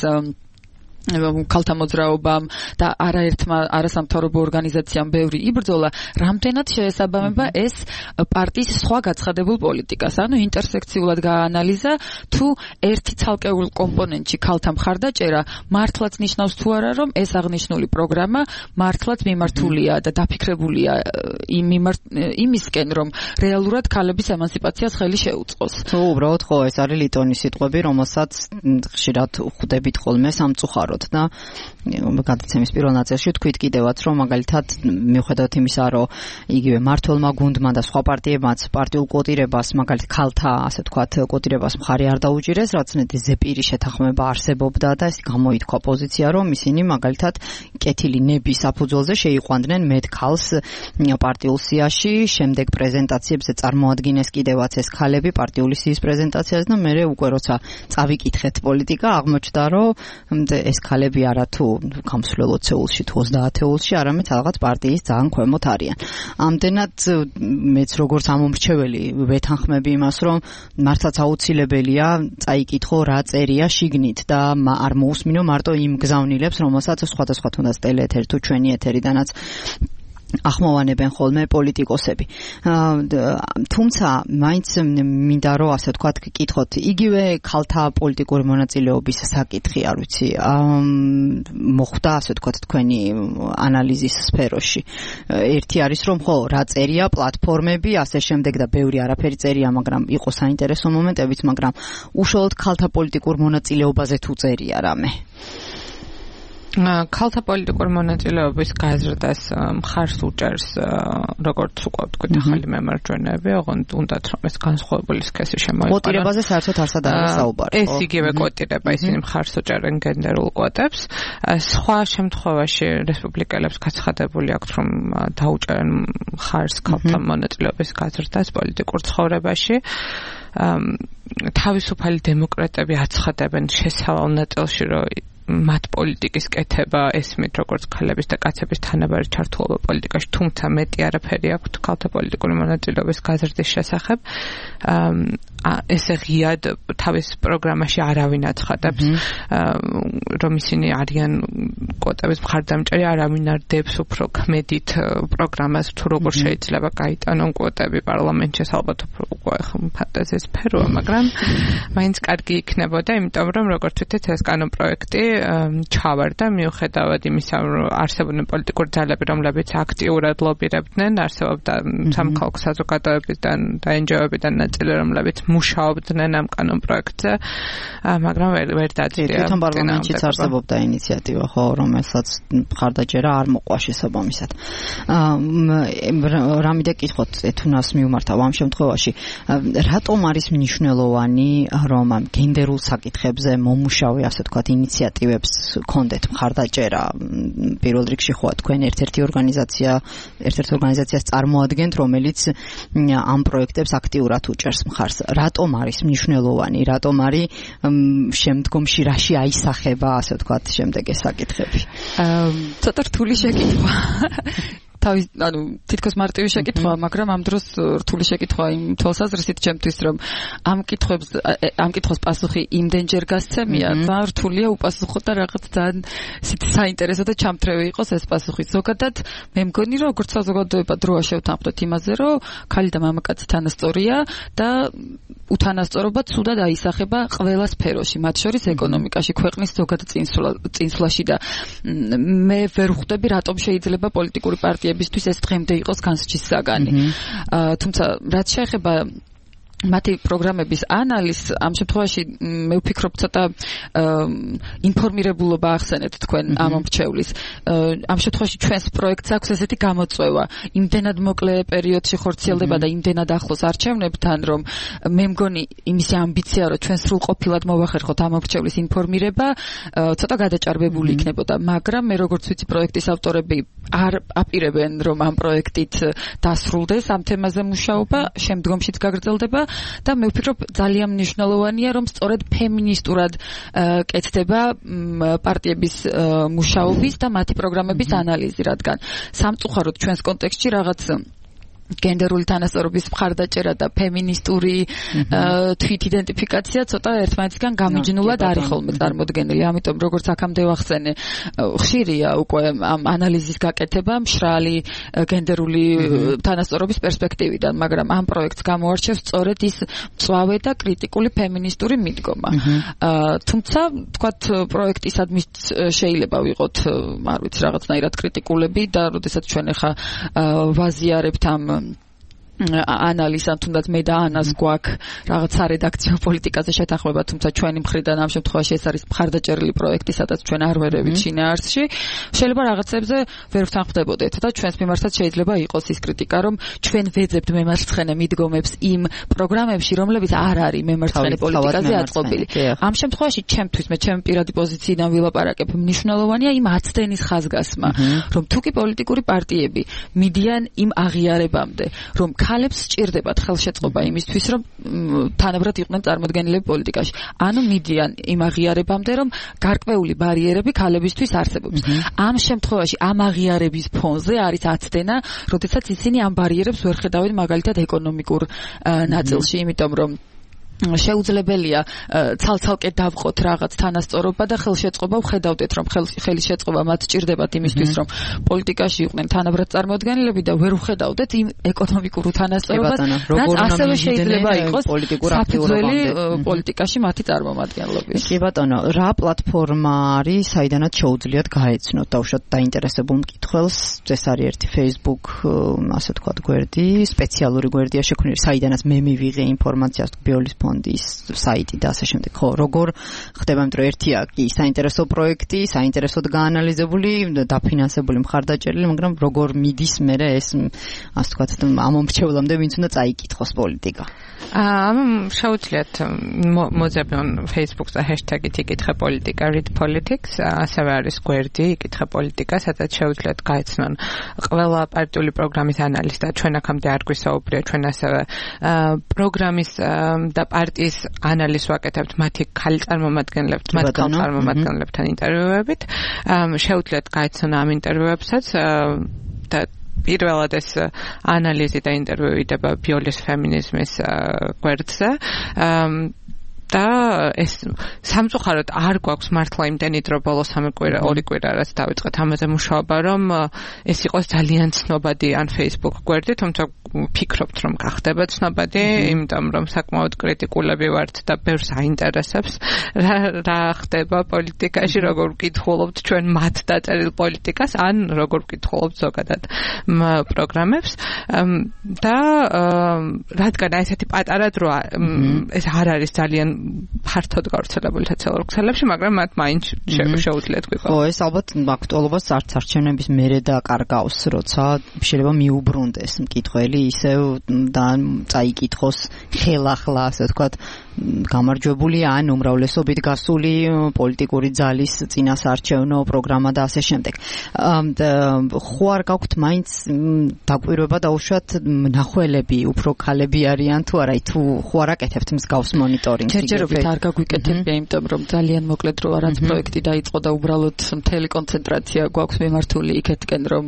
O: ქალთა მოძრაობამ და არაერთმა არასამთავრობო ორგანიზაციამ ბევრი იბრძოლა, რამდენად შეესაბამება ეს პარტიის სხვა გაცხადებულ პოლიტიკას. ანუ ინტერსექციულად გაანალიზა, თუ ერთი ცალკეულ კომპონენტში ქალთა მხარდაჭერა მართლაც ნიშნავს თუ არა, რომ ეს აღნიშნული პროგრამა მართლაც მიმართულია და დაფიქრებულია იმისკენ, რომ რეალურად ქალების ემანციპაციას ხელი შეუწყოს.
J: უბრალოდ ხო, ეს არის ლიტონის სიტყვები, რომელსაც ხშირად ხვდებით ხოლმე სამწუხაროდ და გადაცემის პირველ ნაწილში თქვით კიდევაც, რომ მაგალითად მიუხედავად იმისა, რომ იგივე მმართველმა გუნდმა და სხვა პარტიებმაც პარტიულ კვოტირებას, მაგალითად ქალთა, ასე ვთქვათ, კვოტირებას მხარი არ დაუჭირეს, რაც ნეტი ზეპირი შეთანხმება არსებობდა და ეს გამოითქვა პოზიცია, რომ ისინი მაგალითად კეთილი ნების საფუძველზე შეიყვანდნენ მეტ ქალს პარტიულ სიაში, შემდეგ პრეზენტაციებზე წარმოადგინეს კიდევაც ეს ქალები პარტიული სიის პრეზენტაციაზე და მერე უკვე როცა წავიკითხეთ პოლიტიკა, აღმოჩნდა, რომ ეს ქალები არა თუ გამსვლელ 20-ულში თუ 30-ულში, არამედ რაღაც პარტიის ძალიან ქვემოთ არიან. ამდენად მეც როგორც ამომრჩეველი ვეთანხმები იმას, რომ მართლაც აუცილებელია წაიკითხო რა წერია შიგნით და არ მოусმინო მარტო იმ გზავნილებს, რომელსაც სხვადასხვა თუნდაც ტელეეთერი თუ ჩვენი ეთერიდანაც ახმოვანებენ ხოლმე პოლიტიკოსები. თუმცა მაინც მინდა რომ ასე ვთქვათ გკითხოთ, იგივე ქალთა პოლიტიკური მონაწილეობის საკითხი, არ ვიცი, მოხდა ასე ვთქვათ თქვენი ანალიზის სფეროში. ერთი არის რომ ხო, რა წერია პლატფორმები, ასე შემდეგ და ბევრი არაფერი წერია, მაგრამ იყო საინტერესო მომენტებიც, მაგრამ უშუალოდ ქალთა პოლიტიკურ მონაწილეობაზე თუ წერია რამე.
K: ქალთა პოლიტიკური მონაწილეობის გაზრდას მხარს უჭერს როგორც უკვე ვთქვით ახალი მემარჯვენეები, ოღონდ უნდათ რომ ეს განსხვავებული სქესი შემოიყვანოს.
J: კვოტირებაზე საერთოდ არსად არის საუბარი.
K: ეს იგივე კვოტირება, ისინი მხარს უჭერენ გენდერულ კვოტებს. სხვა შემთხვევაში რესპუბლიკელებს გაცხადებული აქვთ რომ დაუჭერენ მხარს ქალთა მონაწილეობის გაზრდას პოლიტიკურ ცხოვრებაში. თავისუფალი დემოკრატები აცხადებენ შესავალ ნაწილში რომ მათ პოლიტიკის კეთება ესმით როგორც ქალების და კაცების თანაბარი ჩართულობა პოლიტიკაში, თუმცა მეტი არაფერი აქვთ ქალთა პოლიტიკური მონაწილეობის გაზრდის შესახებ. ესე ღიად თავის პროგრამაში არავინ აცხადებს, რომ ისინი არიან კვოტების მხარდამჭერი, არავინ არ დებს უფრო ქმედით პროგრამას, თუ როგორ შეიძლება გაიტანონ კვოტები პარლამენტში, ალბათ უკვე ფანტაზიის სფეროა, მაგრამ მაინც კარგი იქნებოდა, იმიტომ რომ როგორც ვთქვით, ეს კანონპროექტი ჩავარდა მიუხედავად იმისა, რომ არსებობდნენ პოლიტიკური ძალები, რომლებიც აქტიურად ლობირებდნენ, არსებობდა სამხალხო საზოგადოებიდან და NGO-ებიდან ნაწილი, რომლებიც მუშაობდნენ ამ კანონპროექტზე, მაგრამ ვერ დაწია.
J: თვითონ პარლამენტშიც არსებობდა ინიციატივა, ხო, რომელსაც მხარდაჭერა არ მოყვა შესაბამისად. რამე და კითხოთ ეთუნას მიუმართავ ამ შემთხვევაში, რატომ არის მნიშვნელოვანი, რომ ამ გენდერულ საკითხებზე მომუშავე, ასე ვთქვათ, ინიციატივებს კონდეთ მხარდაჭერა? პირველ რიგში ხო თქვენ ერთ-ერთი ორგანიზაციას წარმოადგენთ, რომელიც ამ პროექტებს აქტიურად უჭერს მხარს. რატომ არის მნიშვნელოვანი, რატომ არის შემდგომში რაში აისახება, ასე ვთქვათ, შემდეგ ეს საკითხები?
O: ცოტა რთული შეკითხვა. თითქოს მარტივი შეკითხვაა, მაგრამ ამ დროს რთული შეკითხვაა იმ თვალსაზრისით ჩემთვის, რომ ამ კითხვის პასუხი იმდენჯერ გასცემია, ძალიან რთულია უპასუხო და რაღაც ძალიან საინტერესო და ჩამთრევი იყოს ეს პასუხი. ზოგადად მე მგონი, რომ როგორც საზოგადოება დროა შევთანხმდეთ იმაზე, რომ ხალი და მამაკაცი თანასწორია და უთანასწორობა ცუდად აისახება ყველა სფეროში, მათ შორის ეკონომიკაში, ქვეყნის ზოგადად წინსვლაში და მე ვერ ვხვდები, რატომ შეიძლება პოლიტიკური პარტიებისთვის ეს დღემდე იყოს განსჯის საგანი. თუმცა რაც შეეხება მათი პროგრამების ანალიზს, ამ შემთხვევაში მე ვფიქრობ ცოტა ინფორმირებულობა ახსენეთ თქვენ ამ მრჩევლის. ამ შემთხვევაში ჩვენს პროექტს აქვს ესეთი გამოწვევა, იმდენად მოკლე პერიოდში ხორციელდება და იმდენად ახლოს არჩევნებთან, რომ მე მგონი იმისი ამბიცია, რომ ჩვენ სრულყოფილად მოვახერხოთ ამ მრჩევლის ინფორმირება, ცოტა გადაჭარბებული იქნებოდა, მაგრამ მე როგორც ვიცი, პროექტის ავტორები არ აპირებენ, რომ ამ პროექტით დასრულდეს ამ თემაზე მუშაობა, შემდგომშიც გაგრძელდება. და მე ვფიქრობ ძალიან მნიშვნელოვანია, რომ სწორედ ფემინისტურად კეთდება პარტიების მუშაობის და მათი პროგრამების ანალიზი, რადგან სამწუხაროდ ჩვენს კონტექსტში რაღაც გენდერული თანასწორობის მხარდაჭერა და ფემინისტური თვითიდენტიფიკაცია ცოტა ერთმანეთისგან გამიჯნულად არის ხოლმე წარმოდგენილი. ამიტომ როგორც აქამდე ვახსენე, ხშირია უკვე ამ ანალიზის გაკეთება მშრალი გენდერული თანასწორობის პერსპექტივიდან, მაგრამ ამ პროექტს გამოარჩევს სწორედ ის მწვავე და კრიტიკული ფემინისტური მიდგომა. თუმცა, თქვათ, პროექტისადმი შეიძლება ვიყოთ, არ ვიცი, რაღაცნაირად კრიტიკულები და როდესაც ჩვენ ახლა ვაზიარებთ ამ ანალიზს, თუნდაც მე და ანას გვაქვს რაღაც სარედაქციო პოლიტიკაზე შეთანხმება, თუმცა ჩვენი მხრიდან ამ შემთხვევაში ეს არის მხარდაჭერილი პროექტი, სადაც ჩვენ არ ვერევით შინაარსში. შეიძლება რაღაცებზე ვერ ვთანხმდებოდეთ და ჩვენს მიმართაც შეიძლება იყოს ის კრიტიკა, რომ ჩვენ ვეძებთ მემარცხენე მიდგომებს იმ პროგრამებში, რომლებიც არ არის მემარცხენე პოლიტიკაზე აწყობილი. ამ შემთხვევაში ჩემთვის, მე ჩემი პირადი პოზიციიდან ვილაპარაკებ, მნიშვნელოვანია იმ აცდენის ხაზგასმა, რომ თუკი პოლიტიკური პარტიები მიდიან იმ აღიარებამდე, რომ ქალებს სჭირდებათ ხელშეწყობა იმისთვის, რომ თანაბრად იყვნენ წარმოდგენილები პოლიტიკაში. ანუ მიდიან იმ აღიარებამდე, რომ გარკვეული ბარიერები ქალებისთვის არსებობს. ამ შემთხვევაში ამ აღიარების ფონზე არის აცდენა, როდესაც ისინი ამ ბარიერებს ვერ ხედავენ მაგალითად ეკონომიკურ ნაწილში, იმიტომ რომ შეუძლებელია ცალ-ცალკე დავყოთ რაღაც თანასწორობა და ხელშეწყობა ვხედავდეთ, რომ ხელშეწყობა მათ სჭირდებათ იმისთვის, რომ პოლიტიკაში იყვნენ თანაბრად წარმოდგენილები და ვერ ვხედავდეთ იმ ეკონომიკურ თანასწორობას, რაც ასევე შეიძლება იყოს საფუძველი პოლიტიკაში მათი წარმომადგენლობის.
J: კი ბატონო, რა პლატფორმა არის, საიდანაც შეუძლიათ გაეცნოთ დაუშვათ დაინტერესებულ მკითხველს? ეს არის ერთი Facebook, ასე ვთქვათ, გვერდი, სპეციალური გვერდია შექმნილი, საიდანაც მე მივიღე ინფორმაციას ბიოლის ფონდ ფონდის საიტი და ასე შემდეგ. ხო, როგორ ხდება, იმიტომ ერთია კი საინტერესო პროექტი, საინტერესოდ გაანალიზებული, დაფინანსებული, მხარდაჭერილი, მაგრამ როგორ მიდის მერე ეს, ასე ვთქვათ, ამ მომრჩევლამდე ვინც უნდა წაიკითხოს პოლიტიკა.
K: შეუძლიათ მოძებნონ Facebook-ზე hashtag-ით იკითხე პოლიტიკა read politics, ასევე არის გვერდი იკითხე პოლიტიკა, სადაც შეუძლიათ გაეცნონ ყველა პარტიული პროგრამის ანალიზი და ჩვენ აქამდე არ გვისაუბრია, ჩვენ ასევე პროგრამის და პარტიის ანალიზს ვაკეთებთ მათი ქალი წარმომადგენლებთ, მათ წარმომადგენლებთან ინტერვიუებით. შეუძლიათ გაეცნონ ამ ინტერვიუებსაც და პირველად ეს ანალიზი და ინტერვიუ იდება ბიოლის ფემინიზმის გვერდზე. და ეს სამწუხაროდ არ გვაქვს მართლა იმდენი დრო ბოლოს 2 კვირა რაც დავიწყეთ ამაზე მუშაობა, რომ ეს იყოს ძალიან ცნობადი ან Facebook გვერდი, თუმცა ვფიქრობთ, რომ გახდება ცნობადი, იმიტომ რომ საკმაოდ კრიტიკულები ვართ და ბევრს აინტერესებს რა ხდება პოლიტიკაში, როგორ ვკითხულობთ ჩვენ მათ დაწერილ პოლიტიკას, ან როგორ ვკითხულობთ ზოგადად პროგრამებს და რადგან ესეთი პატარა დრო ეს არ არის ძალიან ფართოდ გავრცელებული სოციალურ ქსელებში, მაგრამ მათ მაინც შეუძლიათ გვიყო.
J: ხო, ეს ალბათ აქტუალობას არც არჩევნების მერე დაკარგავს, როცა შეიძლება მიუბრუნდეს მკითხველი ისევ და წაიკითხოს ხელახლა, ასე ვთქვათ, გამარჯვებული ან უმრავლესობით გასული პოლიტიკური ძალის წინასაარჩევნო პროგრამა და ასე შემდეგ. ხო არ გაქვთ მაინც დაკვირვება დაუშვათ მნახველები, უფრო ქალები არიან თუ არა, თუ ხო არ აკეთებთ მსგავს მონიტორინგს?
O: ჯერჯერობით არ გაგვიკეთებია, იმიტომ რომ ძალიან მოკლედ რო არაც პროექტი დაიწყო და უბრალოდ მთელი კონცენტრაცია გვაქვს მიმართული იქეთკენ, რომ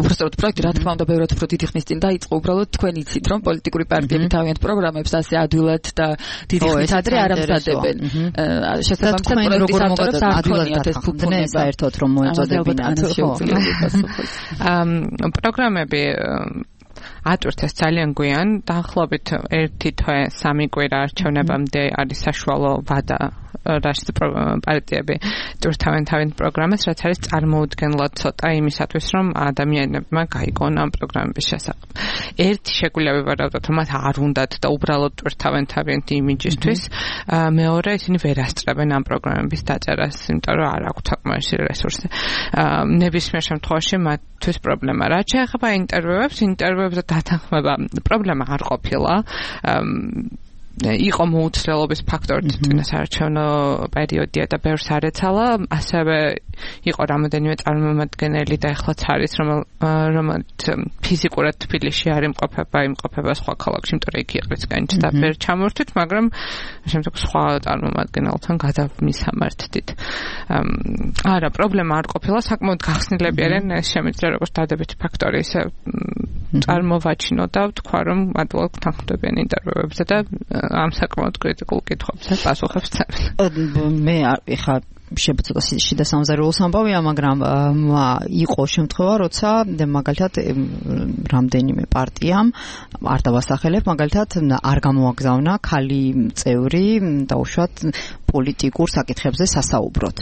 O: უბრალოდ პროექტი რა თქმა უნდა ბევრად უფრო დიდი ხნის წინ დაიწყო, უბრალოდ თქვენ იცით, რომ პოლიტიკური პარტიები თავიანთ პროგრამებს ასე ადვილად და დიდი ხნის ადრე არ ამზადებენ. შესაბამისად პროექტის ავტორებს არ ქონიათ ეს ფუფუნება
J: საერთოდ რომ მოეწოდებინათ.
K: პროგრამები ატვირთეს ძალიან გვიან, დაახლოებით 1 თვე 3 კვირა არჩევნებამდე არის საშუალო ვადა რაც პარტიები ტვირთავენ თავიანთ პროგრამას, რაც არის წარმოუდგენლად ცოტა იმისათვის, რომ ადამიანებმა გაიგონ ამ პროგრამების შესახებ. ერთი შეგვიძლია ვივარავდოთ, რომ მათ არ უნდათ და უბრალოდ ტვირთავენ თავიანთ იმიჯისთვის, მეორე ისინი ვერ ასწრებენ ამ პროგრამების დაწერას, იმიტომ რომ არ აქვთ საკმარისი რესურსი. ნებისმიერ შემთხვევაში მათთვის პრობლემა. რაც შეეხება ინტერვიუებზე დათანხმება, პრობლემა არ ყოფილა. იყო მოუცდელობის ფაქტორი წინასაარჩევნო პერიოდია და ბევრს არ ეცალა, ასევე იყო რამოდენიმე წარმომადგენელი და ეხლაც არის, რომელიც ფიზიკურად თბილისში არ იმყოფება სხვა ქალაქში, იმიტომ რომ იქ იყრისგანით და ვერ ჩამორთვით, მაგრამ შემდეგ სხვა წარმომადგენელთან გადავმისამართდით. არა, პრობლემა არ ყოფილა, საკმაოდ გახსნილები არიან, ეს შემიძლია როგორც დადებითი ფაქტორი, ისე წარმოვაჩინო და ვთქვა, რომ მადლობთ თანხმდებიან ინტერვიუებზე და ამ საკმაოდ კრიტიკულ კითხვებზე პასუხებს ცემენ.
J: მე ეხლა შევცოტა შიდა სამზარეულოს ამბავია, მაგრამ იყო შემთხვევა, როცა მაგალითად რამდენიმე პარტიამ არ დავასახელებ, მაგალითად არ გამოაგზავნა ქალი წევრი დაუშვათ პოლიტიკურ საკითხებზე სასაუბროთ.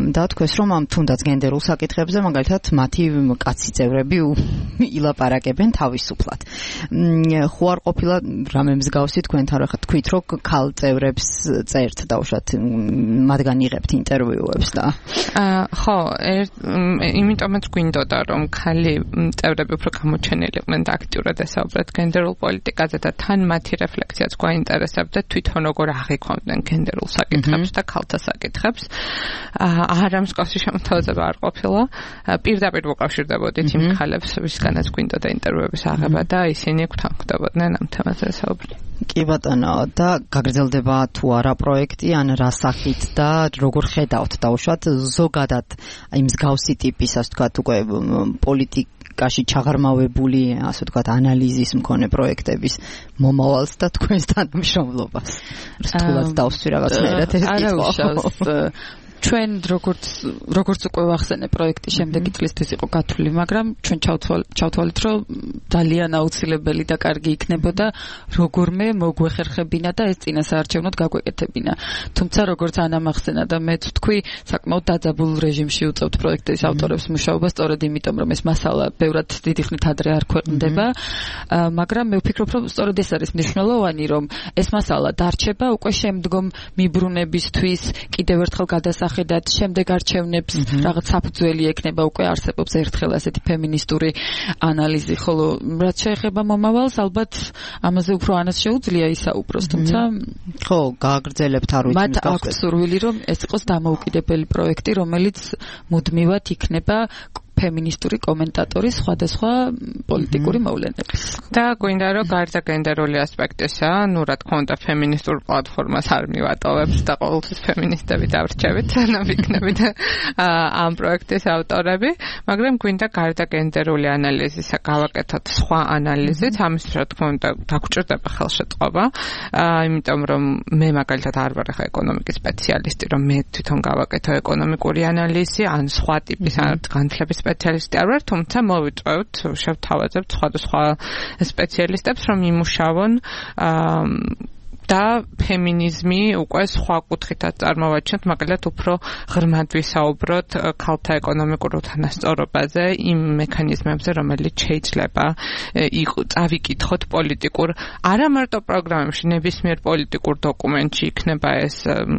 J: და თქვეს, რომ ამ თუნდაც გენდერულ საკითხებზე მაგალითად მათი კაცი წევრები ილაპარაკებენ თავისუფლად. ხო არ ყოფილა რამე მსგავსი თქვენთან, რა თქვით, რომ ქალ წევრებს წერთ დაუშვათ მათგან იღებთ ინტერვიუებს და
K: ხო, იმიტომაც გვინდოდა, რომ ქალი წევრები უფრო გამოჩენილიყვნენ და აქტიურად ესაუბრეთ გენდერულ პოლიტიკაზე და თან მათი რეფლექციაც გვაინტერესებდა თვითონ როგორ აღიქვამდნენ გენდერულ საკითხებს და ქალთა საკითხებს. არა მსგავსი შემოთავაზება არ ყოფილა. პირდაპირ მოკავშირდებოდით იმ ქალებს, ვისგანაც გვინდოდა ინტერვიუების აღება და ისინი გვთანხმდებოდნენ ამ თემაზე ესაუბრეთ.
J: კი ბატონო, და გაგრძელდება თუ არა პროექტი, ან რა სახით და როგორ ხედავთ დაუშვათ ზოგადად აი მსგავსი ტიპის, ასე ვთქვათ, უკვე პოლიტიკაში ჩაღრმავებული, ასე ვთქვათ, ანალიზის მქონე პროექტების მომავალს და თქვენს თანამშრომლობას. რთულად დავსვი რაღაცნაირად ეს კითხვა.
O: ჩვენ როგორც უკვე ვახსენე პროექტი შემდეგი წლისთვის იყო გათვლილი, მაგრამ ჩვენ ჩავთვალეთ, რომ ძალიან აუცილებელი და კარგი იქნებოდა როგორმე მოგვეხერხებინა და ეს წინასაარჩევნოდ გაგვეკეთებინა. თუმცა როგორც ანამახსენა და მეც ვთქვი, საკმაოდ დაძაბულ რეჟიმში უწევთ პროექტის ავტორებს მუშაობა, სწორედ იმიტომ, რომ ეს მასალა ბევრად დიდი ხნით ადრე არ ქვეყნდება, მაგრამ მე ვფიქრობ, რომ სწორედ ეს არის მნიშვნელოვანი, რომ ეს მასალა დარჩება უკვე შემდგომ მიბრუნებისთვის, კიდევ ერთხელ გადასახედად, შემდეგ არჩევნებს რაღაც საფუძველი ექნება, უკვე არსებობს ერთხელ ასეთი ფემინისტური ანალიზი, ხოლო რაც შეეხება მომავალს, ალბათ ამაზე უფრო ანას შეუძლია ისაუბროს, თუმცა
J: ხო, გააგრძელებთ არ ვიცი.
O: მათ აქვს სურვილი, რომ ეს იყოს დამოუკიდებელი პროექტი, რომელიც მუდმივად იქნება ფემინისტური კომენტატორის სხვადასხვა პოლიტიკური მოვლენების.
K: და გვინდა რომ გარდა გენდერული ასპექტისა, ნუ რა თქმა უნდა ფემინისტურ პლატფორმას არ მივატოვებთ და ყოველთვის ფემინისტები დავრჩებით, ანუ ვიქნებით ამ პროექტის ავტორები, მაგრამ გვინდა გარდა გენდერული ანალიზისა გავაკეთოთ სხვა ანალიზით, ამის რა თქმა უნდა დაგჭირდება ხელშეწყობა, იმიტომ რომ მე მაგალითად არ ვარ ახლა ეკონომიკის სპეციალისტი, რომ მე თვითონ გავაკეთო ეკონომიკური ანალიზი, ან სხვა ტიპის განათლების სპეციალისტი არ ვარ, თუმცა მოვიწვევთ, შევთავაზებთ სხვადასხვა სპეციალისტებს, რომ იმუშავონ და ფემინიზმი უკვე სხვა კუთხითაც წარმოვაჩინოთ, მაგალითად უფრო ღრმად ვისაუბროთ ქალთა ეკონომიკურ უთანასწორობაზე, იმ მექანიზმებზე, რომელიც შეიძლება წავიკითხოთ პოლიტიკურ, არა მარტო პროგრამებში, ნებისმიერ პოლიტიკურ დოკუმენტში, იქნება ეს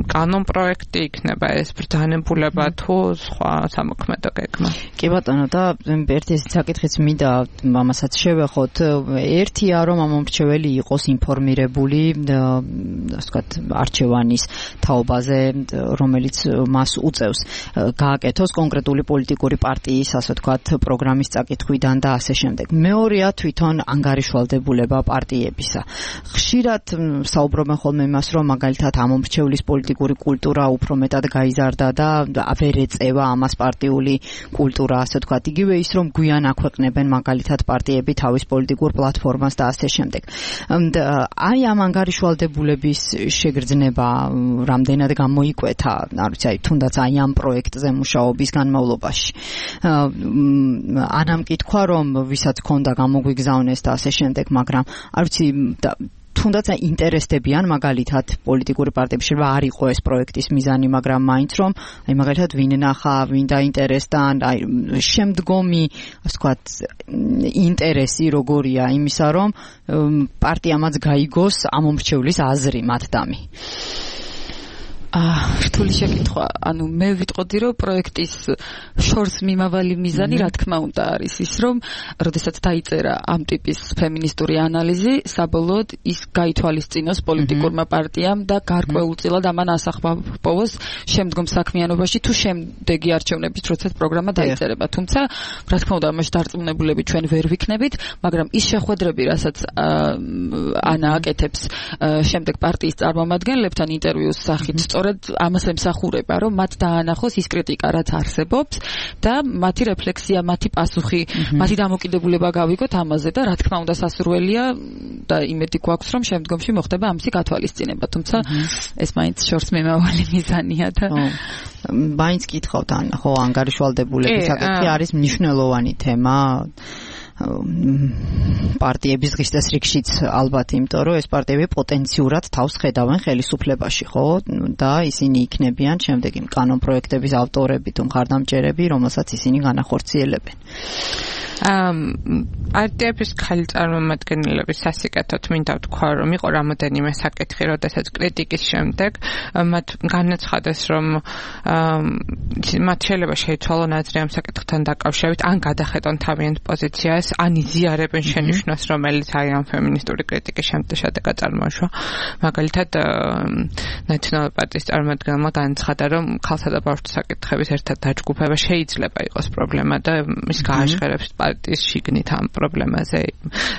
K: კანონ პროექტი, იქნება ეს ბრძანებულება თუ სხვა სამოქმედო გეგმა.
J: კი ბატონო, და ერთი საკითხიც მინდა ამასაც შევეხოთ. ერთია, რომ ამომრჩეველი იყოს ინფორმირებული ასე ვთქვათ, არჩევანის თაობაზე, რომელიც მას უწევს გააკეთოს კონკრეტული პოლიტიკური პარტიის, ასე ვთქვათ, პროგრამის წაკითხვიდან და ასე შემდეგ. მეორეა თვითონ ანგარიშვალდებულება პარტიებისა. ხშირად საუბრობენ ხოლმე იმას, რომ მაგალითად ამომრჩევლის პოლიტიკური კულტურა უფრო მეტად გაიზარდა და ვერ ეწევა ამას პარტიული კულტურა, ასე ვთქვათ. იგივე ის, რომ გვიან აქვეყნებენ მაგალითად პარტიები თავის პოლიტიკურ პლატფორმას და ასე შემდეგ. აი ამ ანგარიშვალდებულების შეგრძნება რამდენად გამოიკვეთა, არ ვიცი, თუნდაც აი ამ პროექტზე მუშაობის განმავლობაში. ანამ კითხვა, რომ ვისაც ქონდა გამოგვიგზავნეს და ასე შემდეგ, მაგრამ არ ვიცი თუნდაც ინტერესდებიან მაგალითად პოლიტიკური პარტიებში რა არ იყო ეს პროექტის მიზანი, მაგრამ მაინც რომ აი მაგალითად ვინ ნახა, ვინ დაინტერესდა, აი შემდგომი ასე ვთქვათ ინტერესი როგორია იმისა, რომ პარტიამაც გაიგოს ამომრჩევლის აზრი მათდამი.
O: რთული შეკითხვა. ანუ მე ვიტყოდი, რომ პროექტის შორს მიმავალი მიზანი, რა თქმა უნდა, არის ის, რომ როდესაც დაიწერა ამ ტიპის ფემინისტური ანალიზი, საბოლოოდ ის გაითვალისწინოს პოლიტიკურმა პარტიამ და გარკვეულწილად ამან ასახვა პოვოს შემდგომ საქმიანობაში თუ შემდეგი არჩევნების როდესაც პროგრამა დაიწერება. თუმცა, რა თქმა უნდა, ამაში დარწმუნებულები ჩვენ ვერ ვიქნებით, მაგრამ ის შეხვედრები, რასაც ანა აკეთებს შემდეგ პარტიის წარმომადგენლებთან ინტერვიუს სახით, ამას ემსახურება, რომ მათ დაანახოს ის კრიტიკა, რაც არსებობს და მათი რეფლექსია, მათი პასუხი, მათი დამოკიდებულება გავიგოთ ამაზე და რა თქმა უნდა სასურველია და იმედი გვაქვს, რომ შემდგომში მოხდება ამისი გათვალისწინება, თუმცა ეს მაინც შორს მიმავალი მიზანია და
J: მაინც კითხავთ, ხო, ანგარიშვალდებულების საკითხი არის მნიშვნელოვანი თემა პარტიების დღის წესრიგშიც ალბათ, იმიტომ რომ ეს პარტიები პოტენციურად თავს ხედავენ ხელისუფლებაში, ხო? და ისინი იქნებიან შემდეგი კანონ პროექტების ავტორები თუ მხარდამჭერები, რომელსაც ისინი განახორციელებენ.
K: პარტიების ხელი წარმომადგენლების სასიკეთოდ მინდა ვთქვა, რომ იყო რამოდენიმე საკითხი, როდესაც კრიტიკის შემდეგ მათ განაცხადეს, რომ მათ შეიძლება შეიცვალონ აზრი ამ საკითხთან დაკავშირებით, ან გადახედონ თავიანთ პოზიციას, ან იზიარებენ შენიშვნას, რომელიც აი ამ ფემინისტური კრიტიკის შედეგად წარმოიშვა. მაგალითად, ნაციონალური პარტიის წარმომადგენელმა განაცხადა, რომ ქალსა და ბავშვთა საკითხების ერთად დაჯგუფება შეიძლება იყოს პრობლემა და ის გააჟღერებს პარტიის შიგნით ამ პრობლემაზე.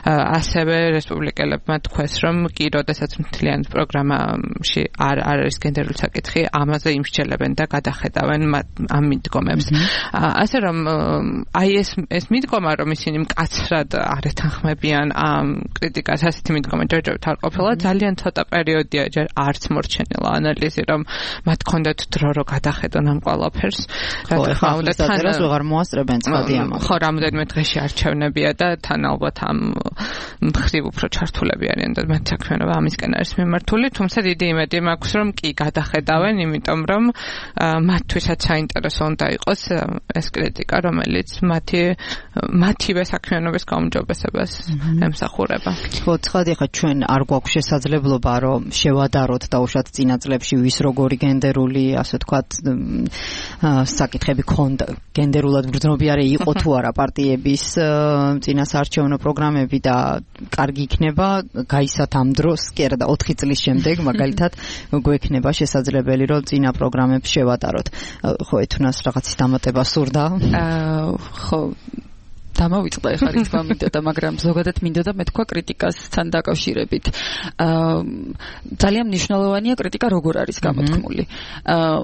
K: ასევე რესპუბლიკელებმა თქვეს, რომ კი როდესაც მთლიანი პროგრამაში არ არის გენდერული საკითხი, ამაზე იმსჯელებენ და გადახედავენ ამ მიდგომებს. ასე რომ აი ეს მიდგომა, რომ ისინი მკაცრად არ ეთანხმებიან ამ კრიტიკას, ასეთი მიდგომა ჯერჯერობით არ ყოფილა, ძალიან ცოტა პერიოდია ჯერ არც მორჩენილა ანალიზი, რომ მათ ქონდათ დრო რომ გადახედონ ამ ყველაფერს.
J: რა თქმა უნდა, თან ვეღარ მოასწრებენ ცხადი ამას.
K: ხო, რამოდენიმე დღეში არჩევნებია და თან ალბათ ამ მხრივ უფრო ჩართულები არიან და მათ საქმიანობა ამისკენ არის მიმართული, თუმცა დიდი იმედი მაქვს, რომ კი გადახედავენ, იმიტომ რომ მათთვისაც საინტერესო უნდა იყოს ეს კრიტიკა, რომელიც მათივე საქმიანობის გაუმჯობესებას ემსახურება.
J: ხო, ცხადი, ხა ჩვენ არ გვაქვს შესაძლებლობა, რომ შევადაროთ დაუშვათ წინა წლებში ვის როგორი გენდერული, ასე ვთქვათ, საკითხები ქონდა, გენდერულად ბრძნობიარე იყო თუ არა პარტიების წინა საარჩევნო პროგრამები და კარგი იქნება გაისათ ამ დროს, კი არა და 4 წლის შემდეგ მაგალითად გვექნება შესაძლებელი, რომ წინა პროგრამებს შევადაროთ. ხო, ეთუნას რაღაცის დამატება სურდა?
O: ხო, დამავიწყდა ეხლა რა თქმა უნდა, მაგრამ ზოგადად მინდოდა მეთქვა კრიტიკასთან დაკავშირებით. ძალიან მნიშვნელოვანია კრიტიკა როგორ არის გამოთქმული.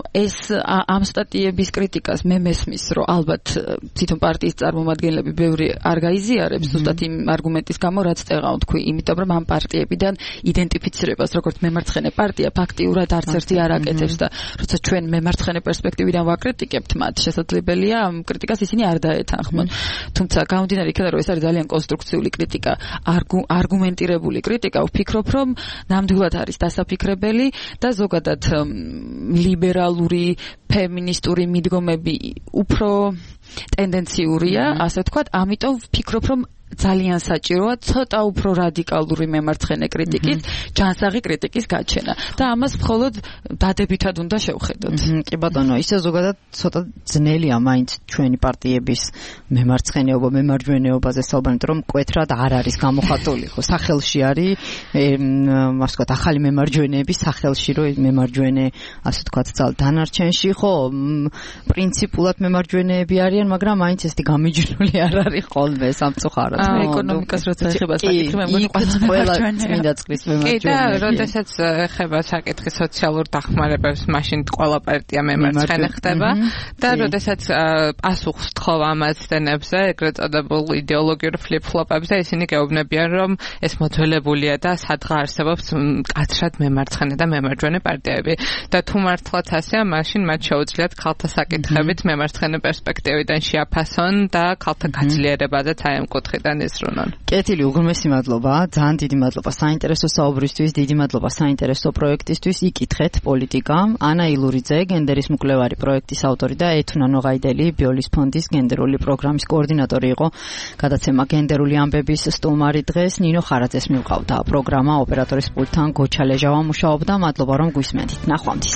O: ეს ამ სტატიების კრიტიკას მე მესმის, რომ ალბათ თვითონ პარტიის წარმომადგენლები ბევრი არ გაიზიარებს ზუსტად იმ არგუმენტის გამო, რაც წეღავ თქვი, იმიტომ რომ ამ პარტიებიდან იდენტიფიცირებას როგორც მემარცხენე პარტია ფაქტიურად არც ერთი არ აკეთებს და როცა ჩვენ მემარცხენე პერსპექტივიდან ვაკრიტიკებთ მათ, შესაძლებელია ამ კრიტიკას ისინი არ დაეთანხმონ. თუმცა გამომდინარე იქიდან, რომ ეს არის ძალიან კონსტრუქციული კრიტიკა, არგუმენტირებული კრიტიკა, ვფიქრობ, რომ ნამდვილად არის დასაფიქრებელი და ზოგადად ლიბერალური, ფემინისტური მიდგომები უფრო ტენდენციურია, ასე ვთქვათ, ამიტომ ვფიქრობ, რომ ძალიან საჭიროა ცოტა უფრო რადიკალური მემარცხენე კრიტიკის, ჯანსაღი კრიტიკის გაჩენა და ამას მხოლოდ დადებითად უნდა შევხედოთ.
J: კი ბატონო, ისე ზოგადად ცოტა ძნელია მაინც ჩვენი პარტიების მემარცხენეობა, მემარჯვენეობაზე საუბარით, რომ მკვეთრად არ არის გამოხატული, ხო, სახელში არის, ასე ვთქვათ, ახალი მემარჯვენეების სახელში, რომ მემარჯვენე, ასე ვთქვათ, ძალ დანარჩენში, ხო, პრინციპულად მემარჯვენეები არიან, მაგრამ მაინც ესეთი გამიჯნული არ არის ხოლმე სამწუხაროდ.
O: ეკონომიკას როცა ეხება საკითხი, მე მგონი
J: ყველა წმინდა წყლის მემარჯვენეა.
K: კი და როდესაც ეხება საკითხი სოციალურ დახმარებებს, მაშინ ყველა პარტია მემარცხენე ხდება და როდესაც პასუხს თხოვ ამ აცდენებზე, ეგრეთ წოდებულ იდეოლოგიურ ფლიპ-ფლოპებზე, ისინი გეუბნებიან, რომ ეს მოძველებულია და სადღა არსებობს მკაცრად მემარცხენე და მემარჯვენე პარტიები და თუ მართლაც ასეა, მაშინ მათ შეუძლიათ ქალთა საკითხებით მემარცხენე პერსპექტივიდან შეაფასონ და ქალთა გაძლიერებაზეც აი ამ კუთხით
J: კეთილი, უღრმესი მადლობა, ძალიან დიდი მადლობა საინტერესო საუბრისთვის, დიდი მადლობა საინტერესო პროექტისთვის. იკითხეთ პოლიტიკა. ანა ილურიძე, გენდერის მკვლევარი პროექტის ავტორი და ეთუნა ნოღაიდელი, ბიოლის ფონდის გენდერული პროგრამის კოორდინატორი იყო. გადაცემა გენდერული ამბების სტუმარი დღეს ნინო ხარაძეს მივყავდა. პროგრამა ოპერატორის პულტთან გოჩა ლეჟავა მუშაობდა. მადლობა რომ გვისმენთ. ნახვამდის.